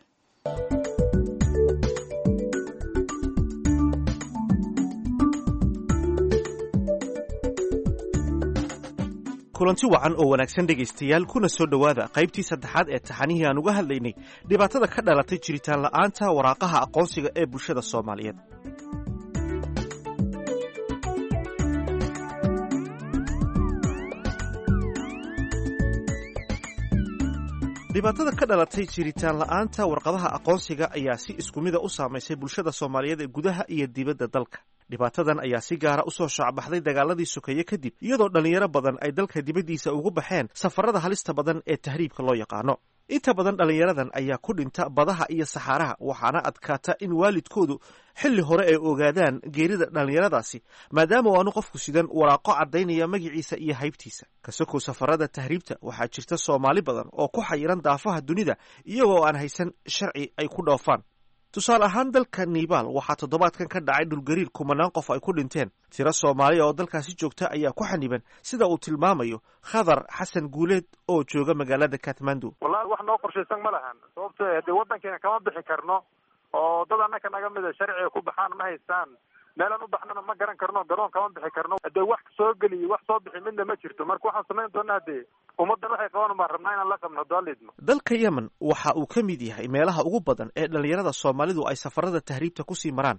Kulanti wacan oo wanaagsan dhegaystayaal, kuna soo dhowaada qaybtii saddexaad ee taxanihii aan uga hadlaynay dhibaatada ka dhalatay jiritaan la'aanta waraaqaha aqoonsiga ee bulshada Soomaaliyeed. Dhibaatada ka dhalatay jiritaan la'aanta warqadaha aqoonsiga ayaa si isku mida u saamaysay bulshada Soomaaliyeed ee gudaha iyo dibadda dalka. Dhibaatadan ayaa si gaara u soo shaacbaxday dagaaladii sokeeye kadib, iyadoo dhallinyaro badan ay dalka dibaddiisa ugu baxeen safarada halista badan ee tahriibka loo yaqaano. Inta badan dhallinyaradan ayaa ku dhinta badaha iyo saxaaraha, waxaana adkaata in waalidkoodu xilli hore ay ogaadaan geerida dhallinyaradaasi, maadaama aanu qofku sidan waraaqo caddaynaya magaciisa iyo haybtiisa. Kasokow safarada tahriibta, waxaa jirta Soomaali badan oo ku xayiran daafaha dunida iyagoo aan haysan sharci ay ku dhoofaan. Tusaale ahaan, dalka Nibaal waxaa toddobaadkan ka dhacay dhulgariir kumanaan qof ay ku dhinteen. Tiro Soomaaliya oo dalkaasi joogta ayaa ku xaniban, sida uu tilmaamayo Khadar Xasan Guuleed oo jooga magaalada Kathmandu. Wallahi wax noo qorshaysan ma lahan, sababto dee waddankeena kama bixi karno oo dad annaka naga mida sharciga ku baxaan ma haystaan. Meelaan u baxnana ma garan karno, garoon kama bixi karno. Dee wax soo geliyo wax soo bixi midna ma jirto. Marka waxaan samayn doonaa dee ummaddan waxay qaban baan rabnaa inaan la qabno daalidno. Dalka Yemen waxa uu ka mid yahay meelaha ugu badan ee dhallinyarada Soomaalidu ay safarada tahriibta kusii maraan.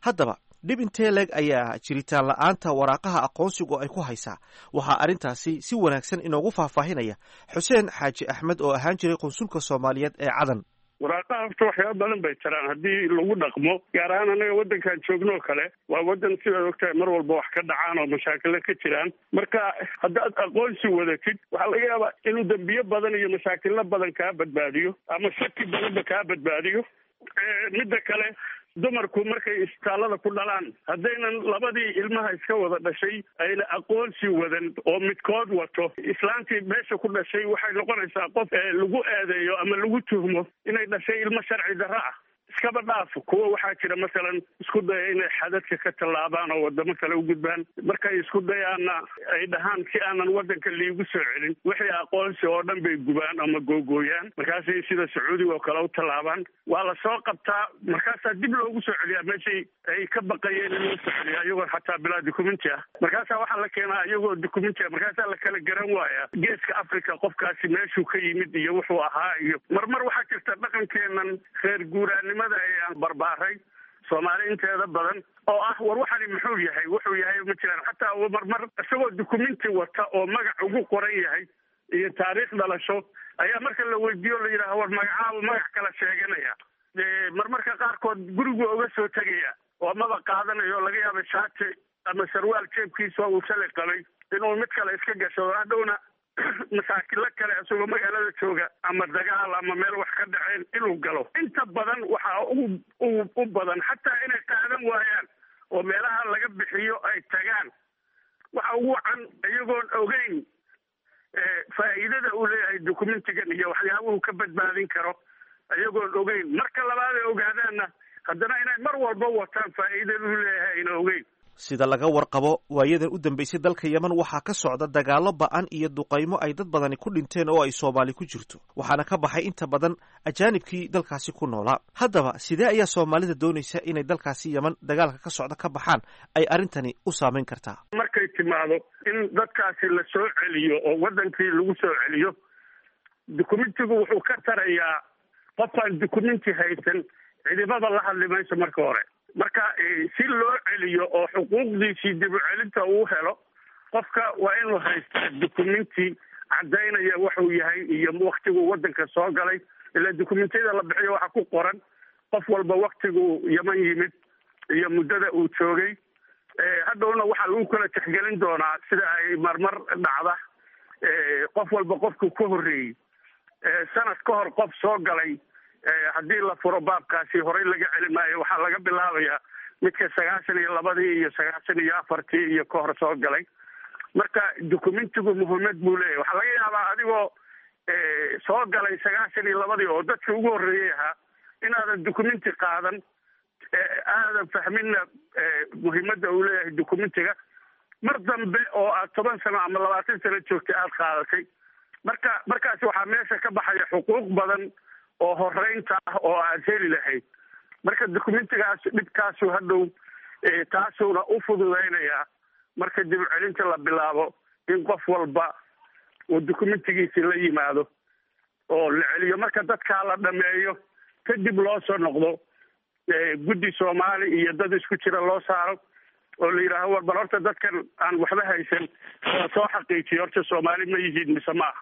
Haddaba dhib intee leeg ayaa jiritaan la'aanta waraaqaha aqoonsigu ay ku haysaa? Waxaa arrintaasi si wanaagsan inoogu faahfaahinaya Xuseen Xaaji Axmed oo ahaan jiray qunsulka Soomaaliyeed ee Cadan. Waraaqaha horta waxyaaba badan bay taraan haddii lagu dhaqmo, gaar ahaan annaga waddankaan joogno kale. Waa waddan sidaad ogtahay mar walba wax ka dhacaan oo mashaakilo ka jiraan. Marka haddaad aqoonsi wadatid, waxaa laga yaabaa inuu dembiyo badan iyo mashaakilo badan kaa badbaadiyo ama shaki badanba kaa badbaadiyo. Midda kale, dumarku markay isbitaallada ku dhalaan, haddaynan labadii ilmaha iska wada dhashay ayna aqoonsi wadan oo midkood wato, islaantii meesha ku dhashay waxay noqonaysaa qof lagu eedeeyo ama lagu tuhmo inay dhashay ilmo sharci darro ah. Iskaba dhaaf kuwa waxaa jira masalan isku daya inay xadadka ka tallaabaan oo wadamo kale u gudbaan. Markay isku dayaanna ay dhahaan si aanan waddanka liigu soo celin, wixii aqoonsi oo dhan bay gubaan ama googooyaan. Markaasay sida Sacuudiga oo kale u tallaabaan, waa la soo qabtaa, markaasaa dib loogu soo celiyaa meeshay ay ka baqayeen in loo soo celiyaa, iyagoo xataa bilaa documenti ah. Markaasaa waxaa la keenaa iyagoo documenti ah, markaasaa la kala garan waayaa geeska Africa qofkaasi meeshuu ka yimid iyo wuxuu ahaa. Iyo marmar waxaa jirta dhaqankeenan reer guuraanimada aan barbaaray Soomaali inteeda badan oo ah war waxani muxuu yahay, wuxuu yahay ma jiraan. Xataa marmar isagoo documenti wata oo magac ugu qoran yahay iyo taariikh dhalasho ayaa marka la weydiiyo la yidhaaha war magacaaba magac kala sheeganaya. Marmarka qaarkood gurigu uga soo tegaya oo maba qaadanayo, laga yaaba shaati ama sarwaal jeebkiisa uu shalay qabay inuu mid kale iska gasho, hadhowna masaakilo kale isagoo magaalada jooga ama dagaal ama meel wax ka dhaceen inuu galo. Inta badan waxaa u badan xataa inay qaadan waayaan oo meelaha laga bixiyo ay tagaan. Waxa ugu wacan iyagoon ogeyn faa'iidada uu leeyahay documentigan iyo waxyaabuhu ka badbaadin karo, iyagoon ogeyn. Marka labaad ay ogaadaanna haddana inay mar walba wataan faa'iidada uu leeyahay ayna ogeyn. Sida laga warqabo, waayadan u dambeysay dalka Yemen waxaa ka socda dagaallo ba'an iyo duqaymo ay dad badani ku dhinteen oo ay Soomaali ku jirto, waxaana ka baxay inta badan ajaanibkii dalkaasi ku noolaa. Haddaba sidee ayaa Soomaalida doonaysa inay dalkaasi Yemen dagaalka ka socda ka baxaan ay arrintani u saameyn kartaa? Markay timaado in dadkaasi la soo celiyo oo waddankii lagu soo celiyo, dukumentigu wuxuu ka tarayaa qofkaan dukumenti haysan cidibada la hadli mayso marka hore. Marka si loo celiyo oo xuquuqdiisii dib u celinta uu helo, qofka waa inuu haystaa dukumenti caddaynaya wuxuu yahay iyo waktiguu waddanka soo galay. Ilaa dukumentiyada la bixiyo waxaa ku qoran qof walba waktiguu Yeman yimid iyo muddada uu joogay. Hadhowna waxaa lagu kala tixgelin doonaa sida ay marmar dhacda, qof walba qofkuu ka horreeyey sanad ka hor qof soo galay haddii la furo baabkaasi horey laga celi maayo. Waxaa laga bilaabayaa midka 92-dii iyo 94-tii iyo ka hor soo galay. Marka dukumentigu muhiimad buu leeyahy. Waxaa laga yaabaa adigoo soo galay 92-dii oo dadkii ugu horreeyey ahaa inaadan dukumenti qaadan, aadan fahminna muhiimadda uu leeyahay dukumentiga. Mar dambe oo aad 10 sano ama 20 sano joogtay aada qaadatay, marka markaasi waxaa meesha ka baxaya xuquuq badan oo horeynta ah oo aad heli lahayd. Marka dukumentigaas dhibkaasu hadhow taasuuna u fududaynayaa marka dib u celinta la bilaabo in qof walba uu dukumentigiisi la yimaado oo la celiyo. Marka dadkaa la dhameeyo kadib loo soo noqdo guddi Soomaali iyo dad isku jira loo saaro oo la yidhaaho war bal horta dadkan aan waxba haysan la soo xaqiijiyo horta Soomaali ma yihiin mise ma aha.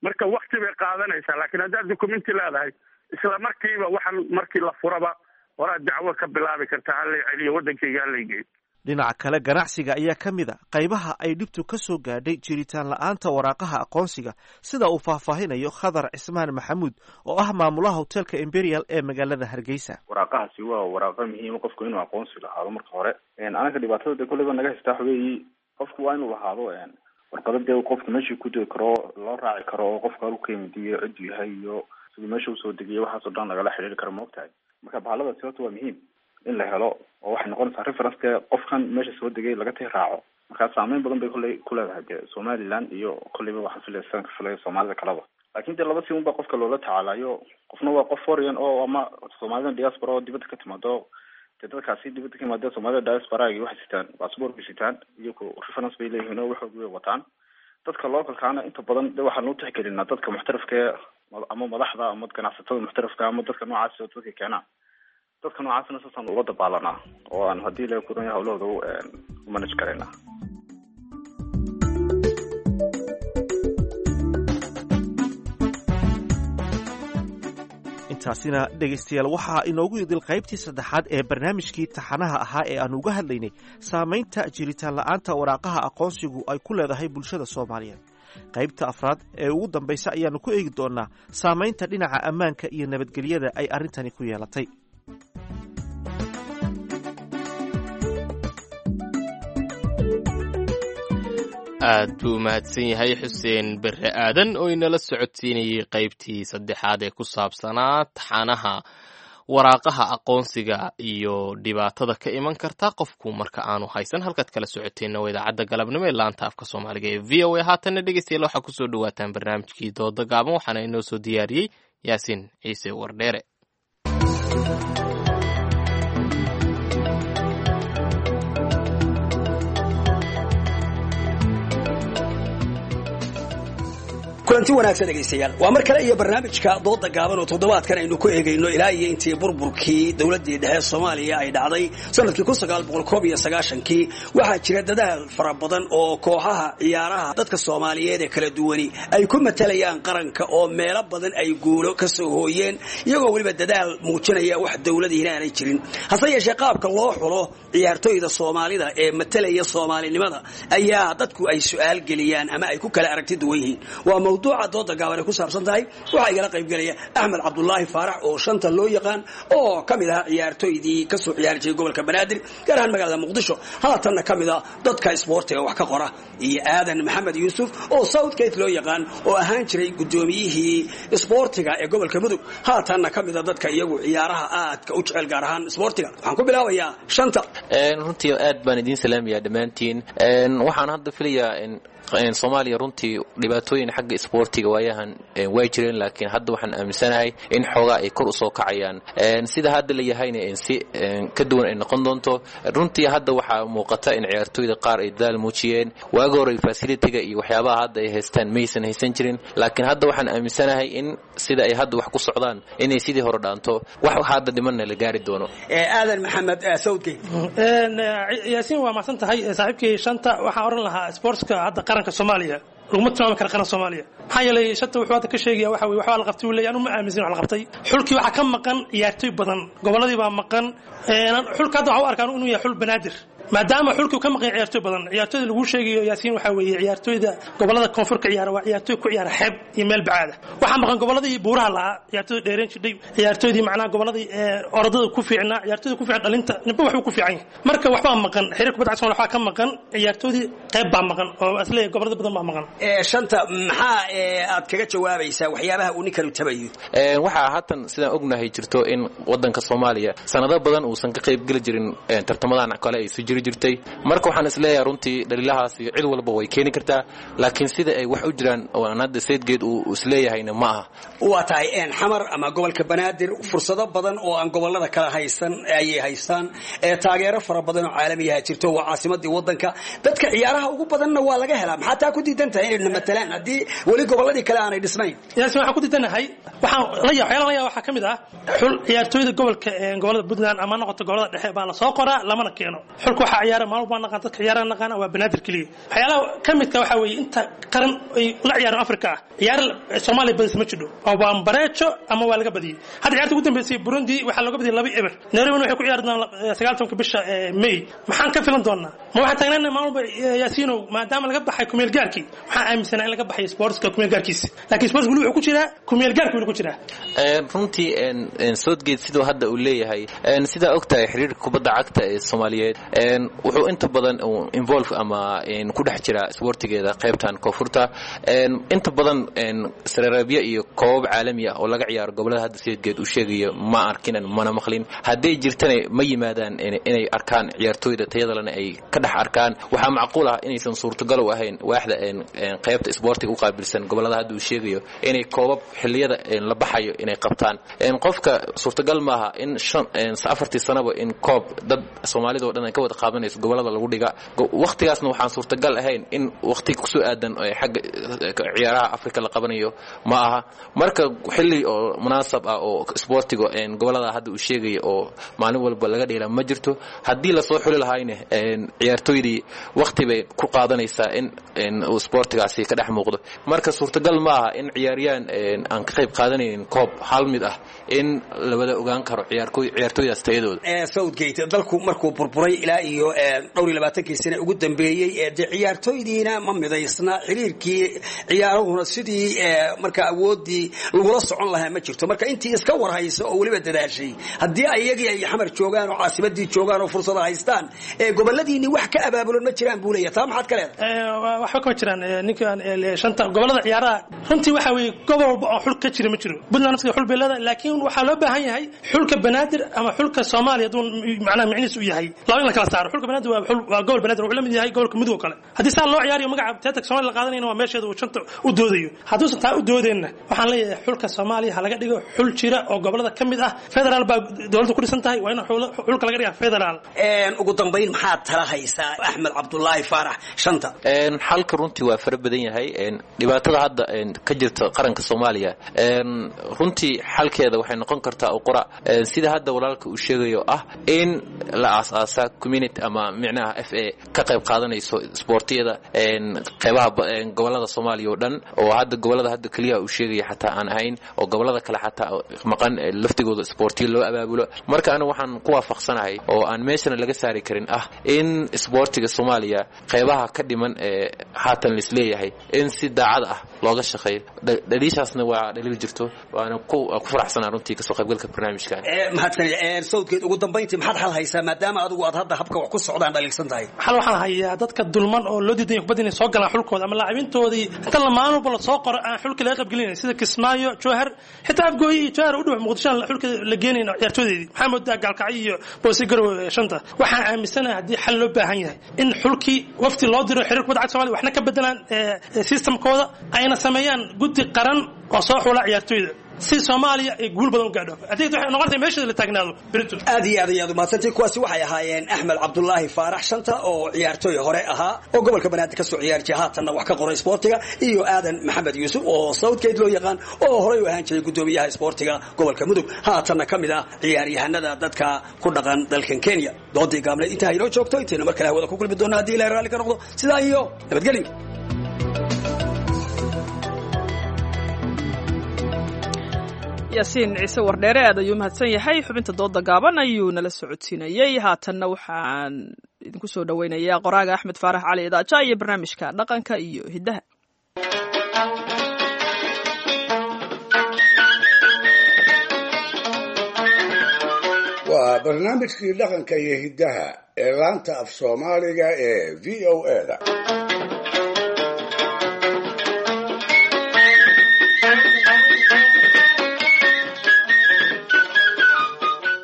Marka wakti bay qaadanaysaa, laakiin haddaad dukumenti leedahay isla markiiba waxaan markii la furaba horaad dacwo ka bilaabi kartaa, halay celiyo waddankayga, halay geeyo. Dhinaca kale, ganacsiga ayaa ka mid a qaybaha ay dhibtu ka soo gaadhay jiritaan la'aanta waraaqaha aqoonsiga, sida uu faahfaahinayo Khadar Cismaan Maxamuud oo ah maamulaha hotelka Imperial ee magaalada Hargeysa. Waraaqahaasi waa waraaqo muhiima qofku inuu aqoonsi lahaado marka hore. Anaga dhibaatada de kolleyba naga haystaa waxa weeyi qofku waa inuu lahaado warqado dee qofku meeshii ku degi karo, loo raaci karo, oo qofka halku ka yimid iyo cidduu yahay iyo siduu meesha usoo degiyo, waxaasoo dhan lagala xiriiri karo, maogtahay. Marka bahaladaasi horta waa muhiim in la helo oo waxay noqonaysaa reference dee qofkan meesha soo degay laga tii raaco. Marka saameyn badan bay kolley ku leedahay dee Somaliland iyo kolleyba waxaan filaya sidaan ka filaya Soomaalida kaleba. Laakiin dee laba si un baa qofka loola tacaalayo. Qofna waa qof foreign oo ama Soomaalida diaspora oo dibadda ka timaado, dee dadkaasi dibadda ka yimaadee Soomaalida diasporaagi waxay sitaan passport bay sitaan iyo ku reference bay leeyihiin oo waxoog way wataan. Dadka localkaana inta badan de waxaan u tixgelinaa dadka muxtarifka ama madaxda ama ganacsatada muxtarifka ama dadka noocaasi oo dadka keenaa, dadka noocaasna saasaan ula dabaalanaa oo aan haddii ilahay kuran yahay hawlahooda u manage karaynaa. Intaasina dhegaystayaal waxaa inoogu idil qaybtii saddexaad ee barnaamijkii taxanaha ahaa ee aan uga hadlaynay saamaynta jiritaan la'aanta waraaqaha aqoonsigu ay ku leedahay bulshada Soomaaliyeed. Qaybta afraad ee ugu dambaysa ayaannu ku eegi doonnaa saamaynta dhinaca ammaanka iyo nabadgelyada ay arrintani ku yeelatay. Aad buu u mahadsan yahay Xuseen Berre Aadan oo inala socodsiinayey qaybtii saddexaad ee ku saabsanaa taxanaha waraaqaha aqoonsiga iyo dhibaatada ka iman karta qofku marka aanu haysan. Halkaad kala socoteenna waa idaacadda galabnimo ee laanta afka Soomaaliga ee VOA. Haatanna dhegeystayaal waxaa kusoo dhawaataan barnaamijkii dooda gaaban, waxaana inoo soo diyaariyey Yaasiin Ciise Wardheere. Kulanti wanaagsan dhegaystayaal, waa mar kale iyo barnaamijka dooda gaaban oo toddobaadkan aynu ku eegayno ilaa iyo intii burburkii dowladdii dhexe Soomaaliya ay dhacday sanadkii 1991kii. Waxaa jira dadaal fara badan oo kooxaha ciyaaraha dadka Soomaaliyeed ee kala duwani ay ku matalayaan qaranka, oo meelo badan ay guulo ka soo hooyeen, iyagoo weliba dadaal muujinaya wax dowladiina aanay jirin. Hase yeeshee, qaabka loo xulo ciyaartoyda Soomaalida ee matalaya Soomaalinimada ayaa dadku ay su'aal geliyaan ama ay ku kala aragti duwan yihiin. Waa mawduuca dooda gaaban ay ku saabsan tahay. Waxaa igala qaybgelaya Axmed Cabdulaahi Faarax oo Shanta loo yaqaan, oo ka mid ahaa ciyaartoydii kasoo ciyaari jiray gobolka Banaadir, gaar ahaan magaalada Muqdisho, haatanna ka mid ah dadka isboortiga wax ka qora, iyo Aadan Maxamed Yuusuf oo Southgate loo yaqaan, oo ahaan jiray gudoomiyihii isboortiga ee gobolka Mudug, haatanna ka mid ah dadka iyagu ciyaaraha aadka u jecel, gaar ahaan isboortiga. Waxaan ku bilaabayaa Shanta. Runtii aad baan idiin salaamayaa dhammaantiin. Waxaan hadda filayaa in Soomaaliya runtii dhibaatooyin xagga isboortiga waayahan way jireen, laakiin hadda waxaan aaminsanahay in xoogaa ay kor usoo kacayaan, sida hadda la yahayna si ka duwan ay noqon doonto. Runtii hadda waxaa muuqata in ciyaartooyda qaar ay dadaal muujiyeen. Waagi hore facility-ga iyo waxyaabaha hadda ay haystaan maysan haysan jirin, laakiin hadda waxaan aaminsanahay in sida ay hadda wax ku socdaan inay sidii hore dhaanto, wax hadda dhimanna la gaari doono. Aadan Maxamed Southgate. Yaasiin, waa mahadsan tahay. Saaxiibkii Shanta waxaan oran lahaa, sportska hadda qaranka Soomaaliya laguma tilmaami kara qaran Soomaaliya. Maxaa yeelay, Shanta wuxuu hadda ka sheegaya waxa weye waxbaa la qabtay uu leeyahay. Anu ma aaminsan wax la qabtay. Xulkii waxaa ka maqan ciyaartoy badan, gobolladii baa maqan. Xulka hadda waxaa u arkaan inuu yahay xul Banaadir, maadaama xulkii ka maqan ciyaartoy badan. Ciyaartoyda lagu sheegayo, Yaasiin, waxaa weeye ciyaartoyda gobolada koonfur ka ciyaara, waa ciyaartoy ku ciyaara xeeb iyo meel bacaada. Waxaa maqan goboladii buuraha lahaa, ciyaartoyda dheereen jidhay, ciyaartoydii macnaha goboladii orodada ku fiicnaa, ciyaartoyda ku fiican dhalinta. Ninba waxbuu ku fiican yahay. Marka waxbaa maqan xiriir kubadda cagta, waxbaa ka maqan ciyaartoydii, qayb baa maqan oo isleeyahay gobolada badan baa maqan. Shanta, maxaa aad kaga jawaabaysaa waxyaabaha uu ninkanu tabayo? Waxaa haatan sidaan ognahay jirto in wadanka Soomaaliya sanado badan uusan ka qaybgeli jirin tartamadan kale ay soo jiri jirtay. Marka waxaan isleeyahay runtii dhaliilahaasi cid walba way keeni kartaa, laakiin sida ay wax u jiraan oo aan hadda Southgate uu isleeyahayna ma aha. Waa tahay. Xamar ama gobolka Banaadir fursado badan oo aan gobolada kala haysan ayay haystaan, taageero fara badan oo caalamiyaha jirto, waa caasimadii wadanka, dadka ciyaaraha ugu badanna waa laga helaa. Maxaa taa ku diidan tahay inayna matalaan haddii weli goboladii kale aanay dhisnayn? Yaasiin, waxaan ku diidanahay, waxaan la yaa waxyaalaha la yaa waxaa ka mid ah xul ciyaartooyda gobolka, gobolada Puntland ama noqoto gobolada dhexe baa la soo qoraa, lamana keeno. Xulka waxaa ciyaara maalmo baa naqaan, dadka ciyaaraha naqaana waa Banaadir keliya. Waxyaalaha ka midka waxaa weeye inta qaran ay la ciyaaraan Afrika ah, ciyaar Soomaaliya badis ma jidho, oo waa bareejo ama waa laga badiyey. Hadda ciyaarta ugu dambeysay Burundi waxaa looga badiyey 2-0. Nairobi waxay ku ciyaari doonaan 19-ka bisha May. Maxaan ka filan doonaa? Ma waxaan taagnaanay maalmo Yaasiinow? Maadaama laga baxay kumeel gaarkii, waxaan aaminsanaa in laga baxay sportska kumeel gaarkiisa, laakiin sports weli wuxuu ku jiraa kumeel gaarki, weli ku jiraa. Runtii Southgate siduu hadda uu leeyahay, sidaa og tahay xiriirka kubadda cagta ee Soomaaliyeed wuxuu inta badan involve ama ku dhex jira isboortigeeda qaybtan koonfurta. Inta badan sareeraabyo iyo koobab caalami ah oo laga ciyaaro gobolada hadda Southgate uu sheegayo ma arkinan mana maqlin. Hadday jirtana ma yimaadaan inay arkaan ciyaartooyda tayadalena ay ka dhex arkaan. Waxaa macquul ah inaysan suurtagal u ahayn waaxda qaybta isboortiga u qaabilsan gobolada hadda uu sheegayo inay koobab xilliyada la baxayo inay qabtaan. Qofka suurtagal maaha in 4-tii sanaba in koob dad Soomaalida oo dhan ay ka wada qaadanayso gobolada lagu dhiga. Waqtigaasna waxaan suurtagal ahayn in waqti kusoo aadan xagga ciyaaraha Afrika la qabanayo ma aha. Marka xilli oo munaasab ah oo isboortiga gobolada hadda uu sheegayo oo maalin walba laga dheela ma jirto. Haddii lasoo xuli lahayna ciyaartooydii waqti bay ku qaadanaysaa in uu isboortigaasi ka dhex muuqdo. Marka suurtagal ma aha in ciyaaryaan aan ka qayb qaadanaynin koob hal mid ah in la wada ogaan karo ciyaartooydaas tayadooda. Southgate, dalku markuu burburay ilaa iyo dhowr iyo labaatankii sane ugu dambeeyey, dee ciyaartooydiina ma midaysna, xiriirkii ciyaaruhuna sidii marka awooddii lagula socon lahaa ma jirto. Marka intii iska warhaysa oo weliba dadaashay, haddii iyagii ay Xamar joogaan oo caasimadii joogaan oo fursada haystaan, goboladiinii wax ka abaabulan ma jiraan buu leeyahay. Taa maxaad ka leedahay? Waxba kama jiraan ninkan Shanta. Gobolada ciyaaraha runtii waxa weeye gobol walba oo xul ka jira ma jiro. Puntland nafsiga xul bay leedahay, laakiin waxaa loo baahan yahay xulka Banaadir ama xulka Soomaaliya hadduu macnaha micnihiis u yahay laba in la kala saaro. Xulka Banaadir waa xul, waa gobol Banaadir, wuxuu la mid yahay gobolka Mudug oo kale. Haddii saa loo ciyaariyo magaca teatarka Soomaaliya la qaadanayna, waa meesheeda uu shanta u doodayo. Hadduusan taa u doodeenna, waxaan leeyahay xulka Soomaaliya ha laga dhigo xul jira oo gobolada ka mid ah. Federaal baa dowladda ku dhisan tahay, waa in xulka laga dhigaa federaal. Ugu dambayn, maxaad tala haysaa, Axmed Cabdulaahi Faarax Shanta? Xalka runtii waa fara badan yahay. Dhibaatada hadda ka jirta qaranka Soomaaliya runtii xalkeeda waxay noqon kartaa uqura sida hadda walaalka uu sheegayo ah, in la aas-aasa community ama micnaha FA ka qayb qaadanayso isboortiyada qeybaha gobolada Soomaaliya oo dhan, oo hadda gobolada hadda keliya uu sheegaya xataa aan ahayn, oo gobolada kale xataa maqan laftigooda isboortiyo loo abaabulo. Marka anigu waxaan ku waafaqsanahay oo aan meeshana laga saari karin ah in isboortiga Soomaaliya qeybaha ka dhiman ee haatan laisleeyahay in si daacad ah looga shaqeeyo. Dhaliishaasna waa dhaliil jirto, waana ku faraxsanaa runtii kasoo qaybgalka barnaamijkan. Mahadsanid Sawdkeed. Ugu dambayntii, maxaad xal haysaa, maadaama adigu aad hadda habka wax ku socdaan dhaliilsan tahay? Xal waxaan hayaa dadka dulman oo loo diidan kubadda inay soo galaan xulkooda ama laacibintoodii inta la maalin walba la soo qoro aan xulka laga qaybgelinayn, sida Kismaayo, Jowhar, xitaa Afgooye iyo Jowhar u dhow Muqdisho aan xulka la geenayn ciyaartooydeedii. Maxaa moodaa Gaalkacyo iyo Boose Garowe? Shanta, waxaan aaminsanahay haddii xal loo baahan yahay in xulkii wafti loo diro xiriir kubadda cagta Soomaaliya, waxna ka bedelaan systemkooda, ayna sameeyaan guddi qaran oo soo xula ciyaartooyda si Soomaaliya ay guul badan u gaadho. Adeegta waxay noqonaysaa meesha la taagnaado berito. Aad iyo aad ayaad umahadsantay. Kuwaasi waxay ahaayeen Axmed Cabdulaahi Faarax Shanta oo ciyaartooy hore ahaa oo gobolka Banaadir kasoo ciyaari jiray, haatanna wax ka qoray isboortiga, iyo Aadan Maxamed Yuusuf oo Southgate loo yaqaan, oo horey u ahaan jiray guddoomiyaha isboortiga gobolka Mudug, haatanna ka mid ah ciyaaryahanada dadka ku dhaqan dalkan Kenya. Doodii gaableed intaa inoo joogto, intaynu mar kale hawada ku kulmi doona haddii Ilahay raalli ka noqdo, sidaa iyo nabadgelyo. Yaasiin Ciise Wardheere aad ayuu mahadsan yahay. Xubinta dooda gaaban ayuu nala socodsiinayey. Haatanna waxaan idinku soo dhoweynayaa qoraaga Axmed Faarax Cali Idaaja iyo barnaamijka dhaqanka iyo hiddaha. Waa barnaamijkii dhaqanka iyo hiddaha ee laanta af Soomaaliga ee VOA-da.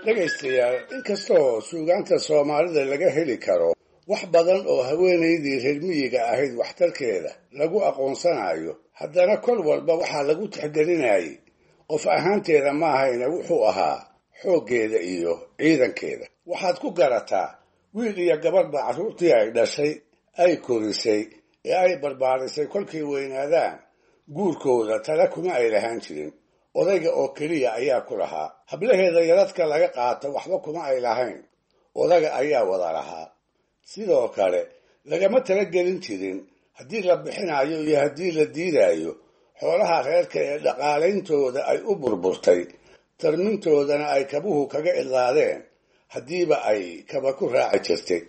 Dhegaystayaal, inkastoo suugaanta Soomaalida laga heli karo wax badan oo haweenaydii reer miyiga ahayd waxtarkeeda lagu aqoonsanayo, haddana kol walba waxaa lagu tixgelinayay qof ahaanteeda maahayna wuxuu ahaa xooggeeda iyo ciidankeeda. Waxaad ku garataa wiil iyo gabadhba carruurtii ay dhashay, ay korisay ee ay barbaarisay, kolkay weynaadaan guurkooda tala kuma ay lahaan jirin. Odayga oo keliya ayaa ku lahaa. Hablaheeda yaradka laga qaato waxba kuma ay lahayn, odaga ayaa wada lahaa. Sidoo kale lagama talagelin jirin haddii la bixinayo iyo haddii la diidayo xoolaha reerka ee dhaqaalayntooda ay u burburtay, tarmintoodana ay kabuhu kaga idlaadeen, haddiiba ay kaba ku raaci jirtay.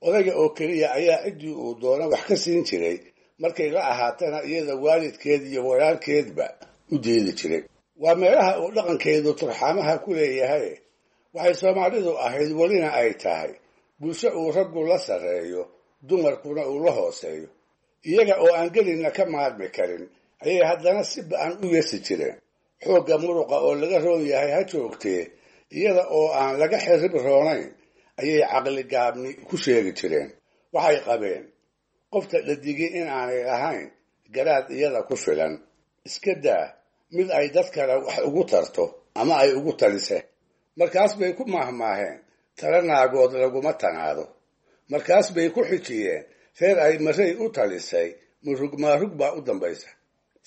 Odayga oo keliya ayaa ciddii uu doono wax ka siin jiray, markay la ahaatana iyada waalidkeed iyo walaalkeedba u diidi jiray. Waa meelaha uu dhaqankeedu turxaamaha ku leeyahay. Waxay Soomaalidu ahayd, welina ay tahay, bulsho uu raggu la sarreeyo, dumarkuna uu la hooseeyo. Iyaga oo aan gelinna ka maarmi karin ayay haddana si ba-an u yeesi jireen. Xoogga muruqa oo laga roon yahay ha joogtee, iyada oo aan laga xirrib roonayn ayay caqligaabni ku sheegi jireen. Waxay qabeen qofta dhadigay in aanay lahayn garaad iyada ku filan, iska daa mid ay dad kale wax ugu tarto ama ay ugu talise. Markaas bay ku maahmaaheen: "Tala naagood laguma tanaado." Markaas bay ku xijiyeen: "Reer ay maray u talisay murug maarug baa u dambaysa."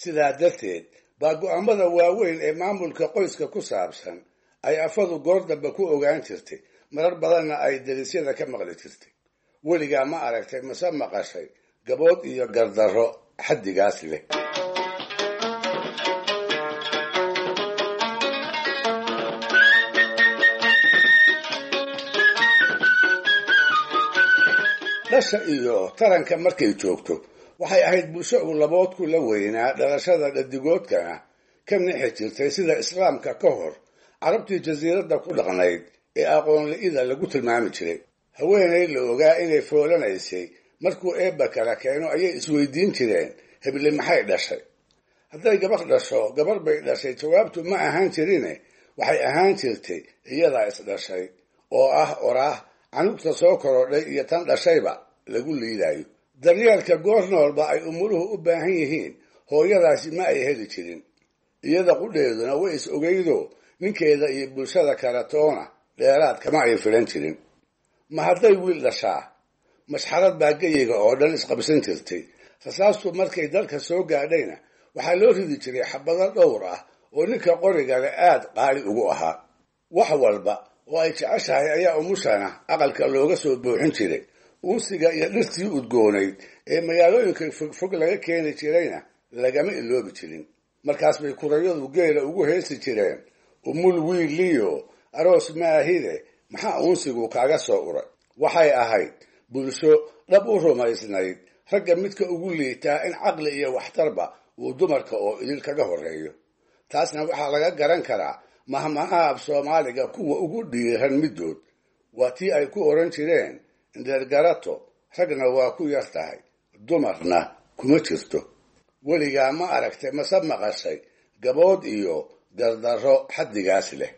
Sidaa darteed baa go'aamada waaweyn ee maamulka qoyska ku saabsan ay afadu goor dambe ku ogaan jirtay, marar badanna ay delisyada ka maqli jirtay. Weligaa ma aragtay mase maqashay gabood iyo gardarro xaddigaas leh? Dhasha iyo taranka markay joogto, waxay ahayd bulsho uu laboodku la weynaa, dhalashada dhadigoodkana ka nixi jirtay, sida Islaamka ka hor Carabtii jasiiradda ku dhaqnayd ee aqoon-li'ida lagu tilmaami jiray. Haweenay la ogaa inay foolanaysay markuu eebba kala keeno ayay isweydiin jireen: "Heble maxay dhashay?" Hadday gabar dhasho, "Gabar bay dhashay," jawaabtu ma ahaan jirine waxay ahaan jirtay, "Iyadaa is dhashay," oo ah oraah Canugta soo korodhay iyo tan dhashayba lagu liidayo. Daryeelka goor noolba ay umuluhu u baahan yihiin hooyadaasi ma ay heli jirin. Iyada qudheeduna way is ogeydo, ninkeeda iyo bulshada kale toona dheeraad kama ay filan jirin. Ma hadday wiil dhashaa, mashxarad baa geyiga oo dhan isqabsan jirtay. Rasaastu markay dalka soo gaadhayna waxaa loo ridi jiray xabado dhowr ah oo ninka qorigale aad qaali ugu ahaa. Wax walba oo ay jeceshahay ayaa umushana aqalka looga soo buuxin jiray. Uunsiga iyo dhirtii udgoonayd ee magaalooyinka fogfog laga keeni jirayna lagama iloobi jirin. Markaas bay kurayadu geela ugu heesi jireen: umul wiiliyo aroos maahide, maxaa uunsigu kaaga soo uray? Waxay ahayd bulsho dhab u rumaysnayd ragga midka ugu liitaa in caqli iyo waxtarba uu dumarka oo idil kaga horreeyo. Taasna waxaa laga garan karaa mahmahaha af Soomaaliga kuwa ugu dhiiran middood, waa tii ay ku odhan jireen: indheergarato ragna waa ku yar tahay, dumarna kuma jirto. Weligaa ma aragtay mase maqashay gabood iyo gardarro xaddigaas leh?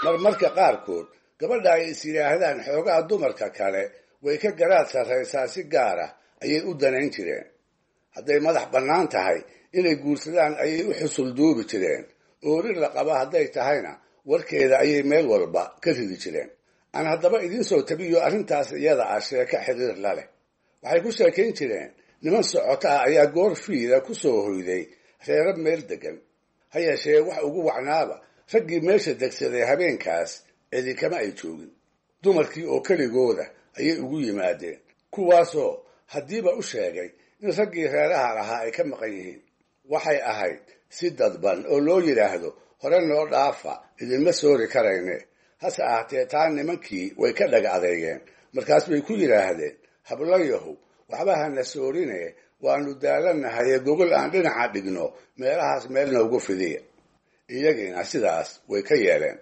Marmarka qaarkood gabadha ay is yidhaahdaan xoogaha dumarka kale way ka garaad sarraysaa si gaar ah ayay u danayn jireen. Hadday madax bannaan tahay, inay guursadaan ayay u xusul duubi jireen. Oorin la qaba hadday tahayna, warkeeda ayay meel walba ka ridi jireen. Aan haddaba idiin soo tabiyo arrintaas iyada ah sheeko xiriir la leh. Waxay ku sheekayn jireen niman socoto ah ayaa goor fiida ku soo hoyday reero meel deggan. Ha yeeshee wax ugu wacnaaba raggii meesha degsaday habeenkaas cidi kama ay joogin. Dumarkii oo keligooda ayay ugu yimaadeen, kuwaasoo haddiiba u sheegay in raggii reeraha lahaa ay ka maqan yihiin. Waxay ahayd si dadban oo loo yidhaahdo hore noo dhaafa, idinma soori karayne. Hase ahaatee taa nimankii way ka dhaga adeegeen. Markaas bay ku yidhaahdeen: hablayahow, waxba hana soorine, waanu daalanahaye gogol aan dhinaca dhigno meelahaas meel noogu fidiya. Iyagiina sidaas way ka yeeleen.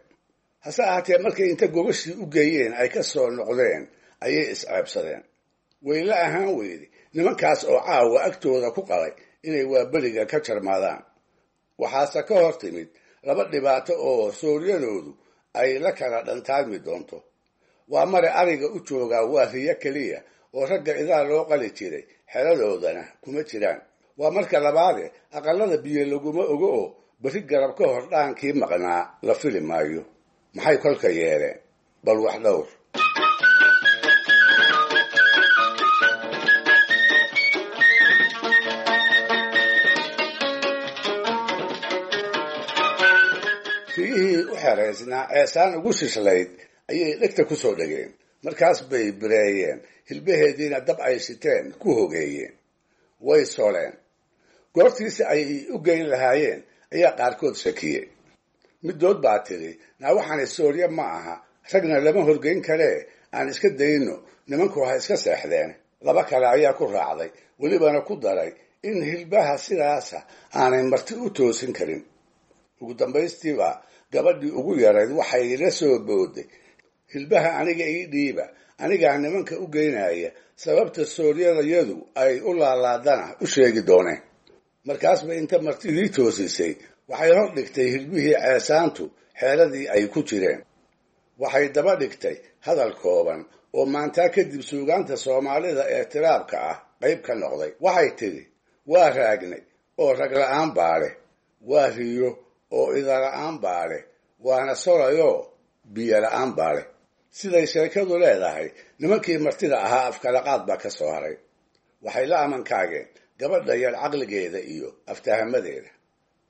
Hase ahaatee markay inta gogashii u geeyeen ay ka soo noqdeen ayay isceebsadeen. Wayla ahaan weyday nimankaas oo caawa agtooda ku qalay inay waaberiga ka jarmaadaan. Waxaase ka hor timid laba dhibaato oo sooryadoodu ay la kala dhantaalmi doonto. Waa mare ariga u joogaa waa riyo keliya oo ragga idaa loo qali jiray xeradoodana kuma jiraan. Waa marka labaade aqallada biyo laguma ogo oo berri garab ka hor dhaankii maqnaa la fili maayo. Maxay kolka yeeleen? Bal wax dhowr. Riyihii u xeraysnaa ceesaan ugu shishlayd ayay dhegta ku soo dhegeen. Markaas bay bireeyeen, hilbaheediina dab ay shiteen ku hogeeyeen. Way soleen. Goortiisi ay u geyn lahaayeen ayaa qaarkood shakiyey. Middood baa tidhi: naa waxaani soorye ma aha, ragna lama horgeyn karee, aan iska dayno, nimanku ha iska seexdeen. Laba kale ayaa ku raacday, welibana ku daray in hilbaha sidaasa aanay marti u toosin karin. Ugu dambaystiiba gabadhii ugu yarayd waxay la soo booday: hilbaha aniga ii dhiiba, anigaa nimanka u geynaya, sababta sooryadayadu ay u laalaadana u sheegi dooneen. Markaas bay inta martidii toosisay waxay hor dhigtay hilbihii ceesaantu xeeradii ay ku jireen. Waxay daba dhigtay hadal kooban oo maantaa kadib suugaanta Soomaalida ee tiraabka ah qayb ka noqday. Waxay tidhi: waa raagnay oo rag la'aan baa leh, waa riyo oo ida la'aan baa leh, waana solayoo biyo la'aan baa leh. Siday sheekadu leedahay, nimankii martida ahaa afkalaqaad baa ka soo haray. Waxay la amankaageen gabadha yar caqligeeda iyo aftahamadeeda.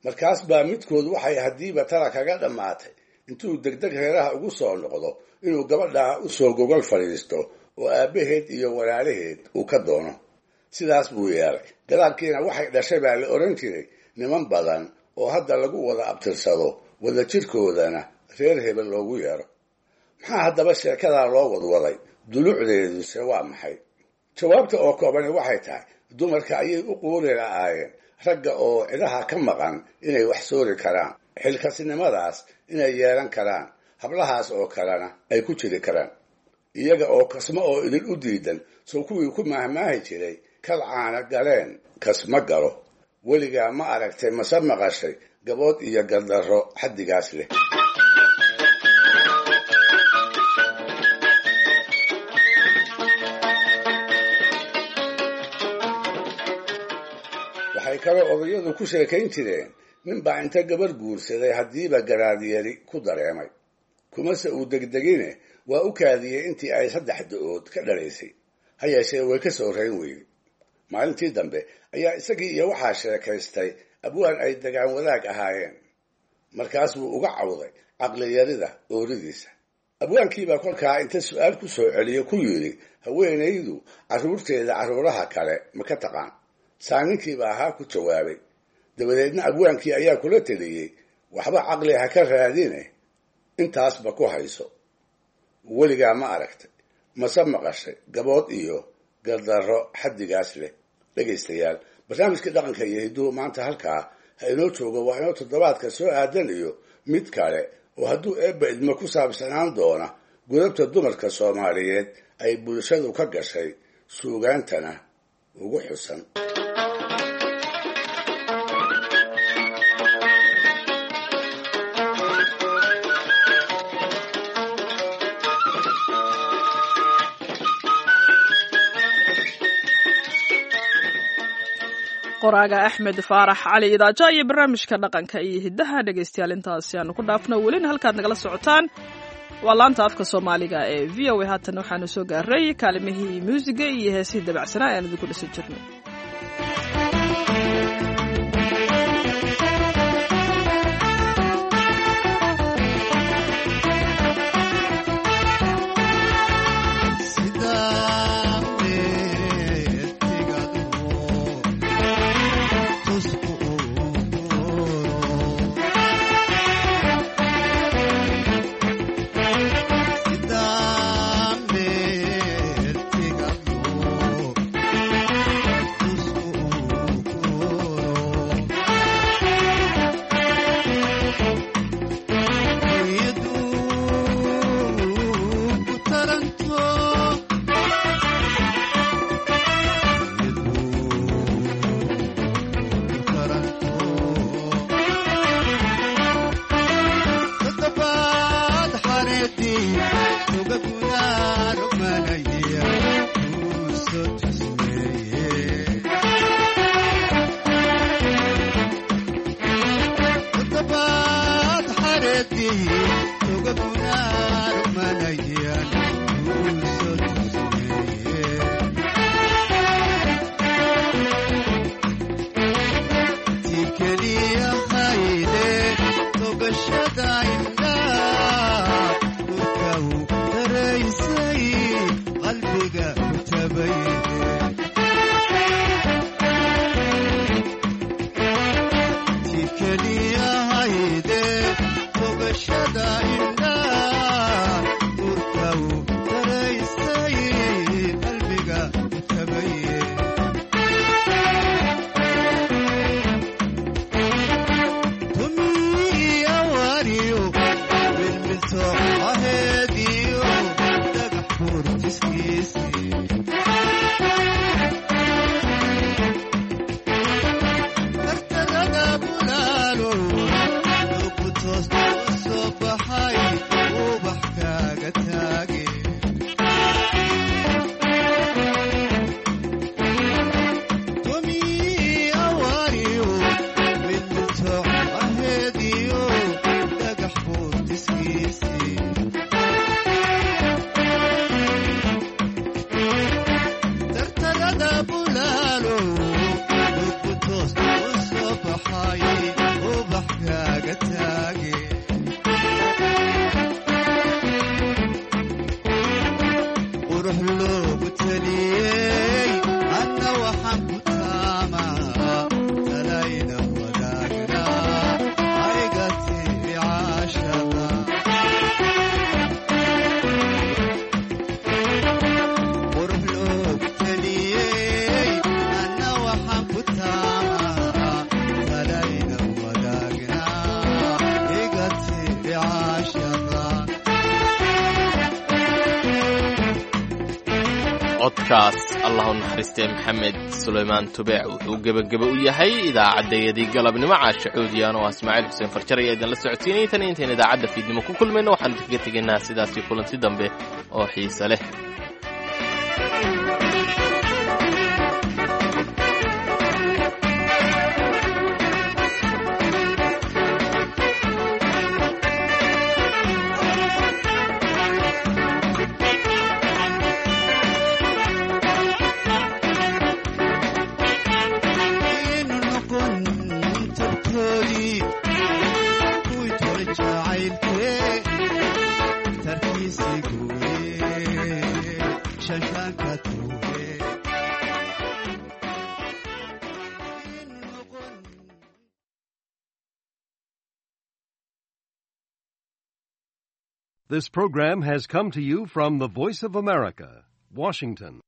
Markaas baa midkood waxay haddiiba tala kaga dhammaatay intuu degdeg reeraha ugu soo noqdo inuu gabadhaa u soo gogol fadhiisto oo aabbaheed iyo walaalaheed uu ka doono. Sidaas buu yeelay. Gadaalkiina waxay dhashay baa la odhan jiray niman badan oo hadda lagu wada abtirsado, wada jirkoodana reer hebel loogu yeero. Maxaa haddaba sheekadaa loo wadwaday? Dulucdeeduse waa maxay? Jawaabta oo koobani waxay tahay dumarka ayay u quuri la'aayeen ragga oo cidaha ka maqan inay wax soori karaan, xilkasinimadaas inay yeelan karaan, hablahaas oo kalena ay ku jiri karaan. Iyaga oo kasmo oo idin u diidan soo kuwii ku maahmaahi jiray Kal caana galeen kasma galo. Weligaa ma aragtay mase maqashay gabood iyo gardarro xaddigaas leh? Waxay kaloo odayadu ku sheekayn jireen nin baa inta gabar guursaday haddiiba garaadyari ku dareemay, kumase uu degdegine waa u kaadiyey intii ay 3 da-ood ka dhalaysay. Ha yeeshee way ka soo rayn weyday. Maalintii dambe ayaa isagii iyo waxaa sheekaystay abwaan ay degaan wadaag ahaayeen. Markaas buu uga cawday caqliyarida ooridiisa. Abwaankiibaa kolkaa inta su-aal ku soo celiyo ku yidhi, haweenaydu carruurteeda carruuraha kale ma ka taqaan? Saaninkiibaa ahaa ku jawaabay. Dabadeedna abwaankii ayaa kula teliyey, waxba caqli ha ka raadine, intaasba ku hayso. Weligaa ma aragtay mase maqashay gabood iyo gardarro xaddigaas leh? Dhegaystayaal, barnaamijkii dhaqanka iyo hidduhu maanta halkaa ha inoo joogo. Waa inoo toddobaadka soo aadan iyo mid kale oo hadduu eebba idmo ku saabsanaan doona godobta dumarka Soomaaliyeed ay bulshadu ka gashay suugaantana ugu xusan. Qoraaga Axmed Faarax Cali Idaaja iyo barnaamijka dhaqanka iyo hiddaha, dhegaystayaal, intaasi aanu ku dhaafno. Welina halkaad nagala socotaan waa laanta afka Soomaaliga ee VOA. Haatan waxaanu soo gaaray kaalimihii muusiga iyo heesihii dabacsanaa ee aan idinku dhisan jirnay. Codkaas allah u naxariistee Maxamed Sulaymaan Tubeec wuxuu gebageba u yahay idaacaddayadii galabnimo. Caasha Cuudiyaan oo ah Ismaaciil Xuseen Farjar ayaa idinla socodsiinayay. Tan intayn idaacadda fiidnimo ku kulmayno, waxaan idinkaga tegaynaa sidaasii kulanti dambe oo xiise leh. This program has come to you from the Voice of America, Washington.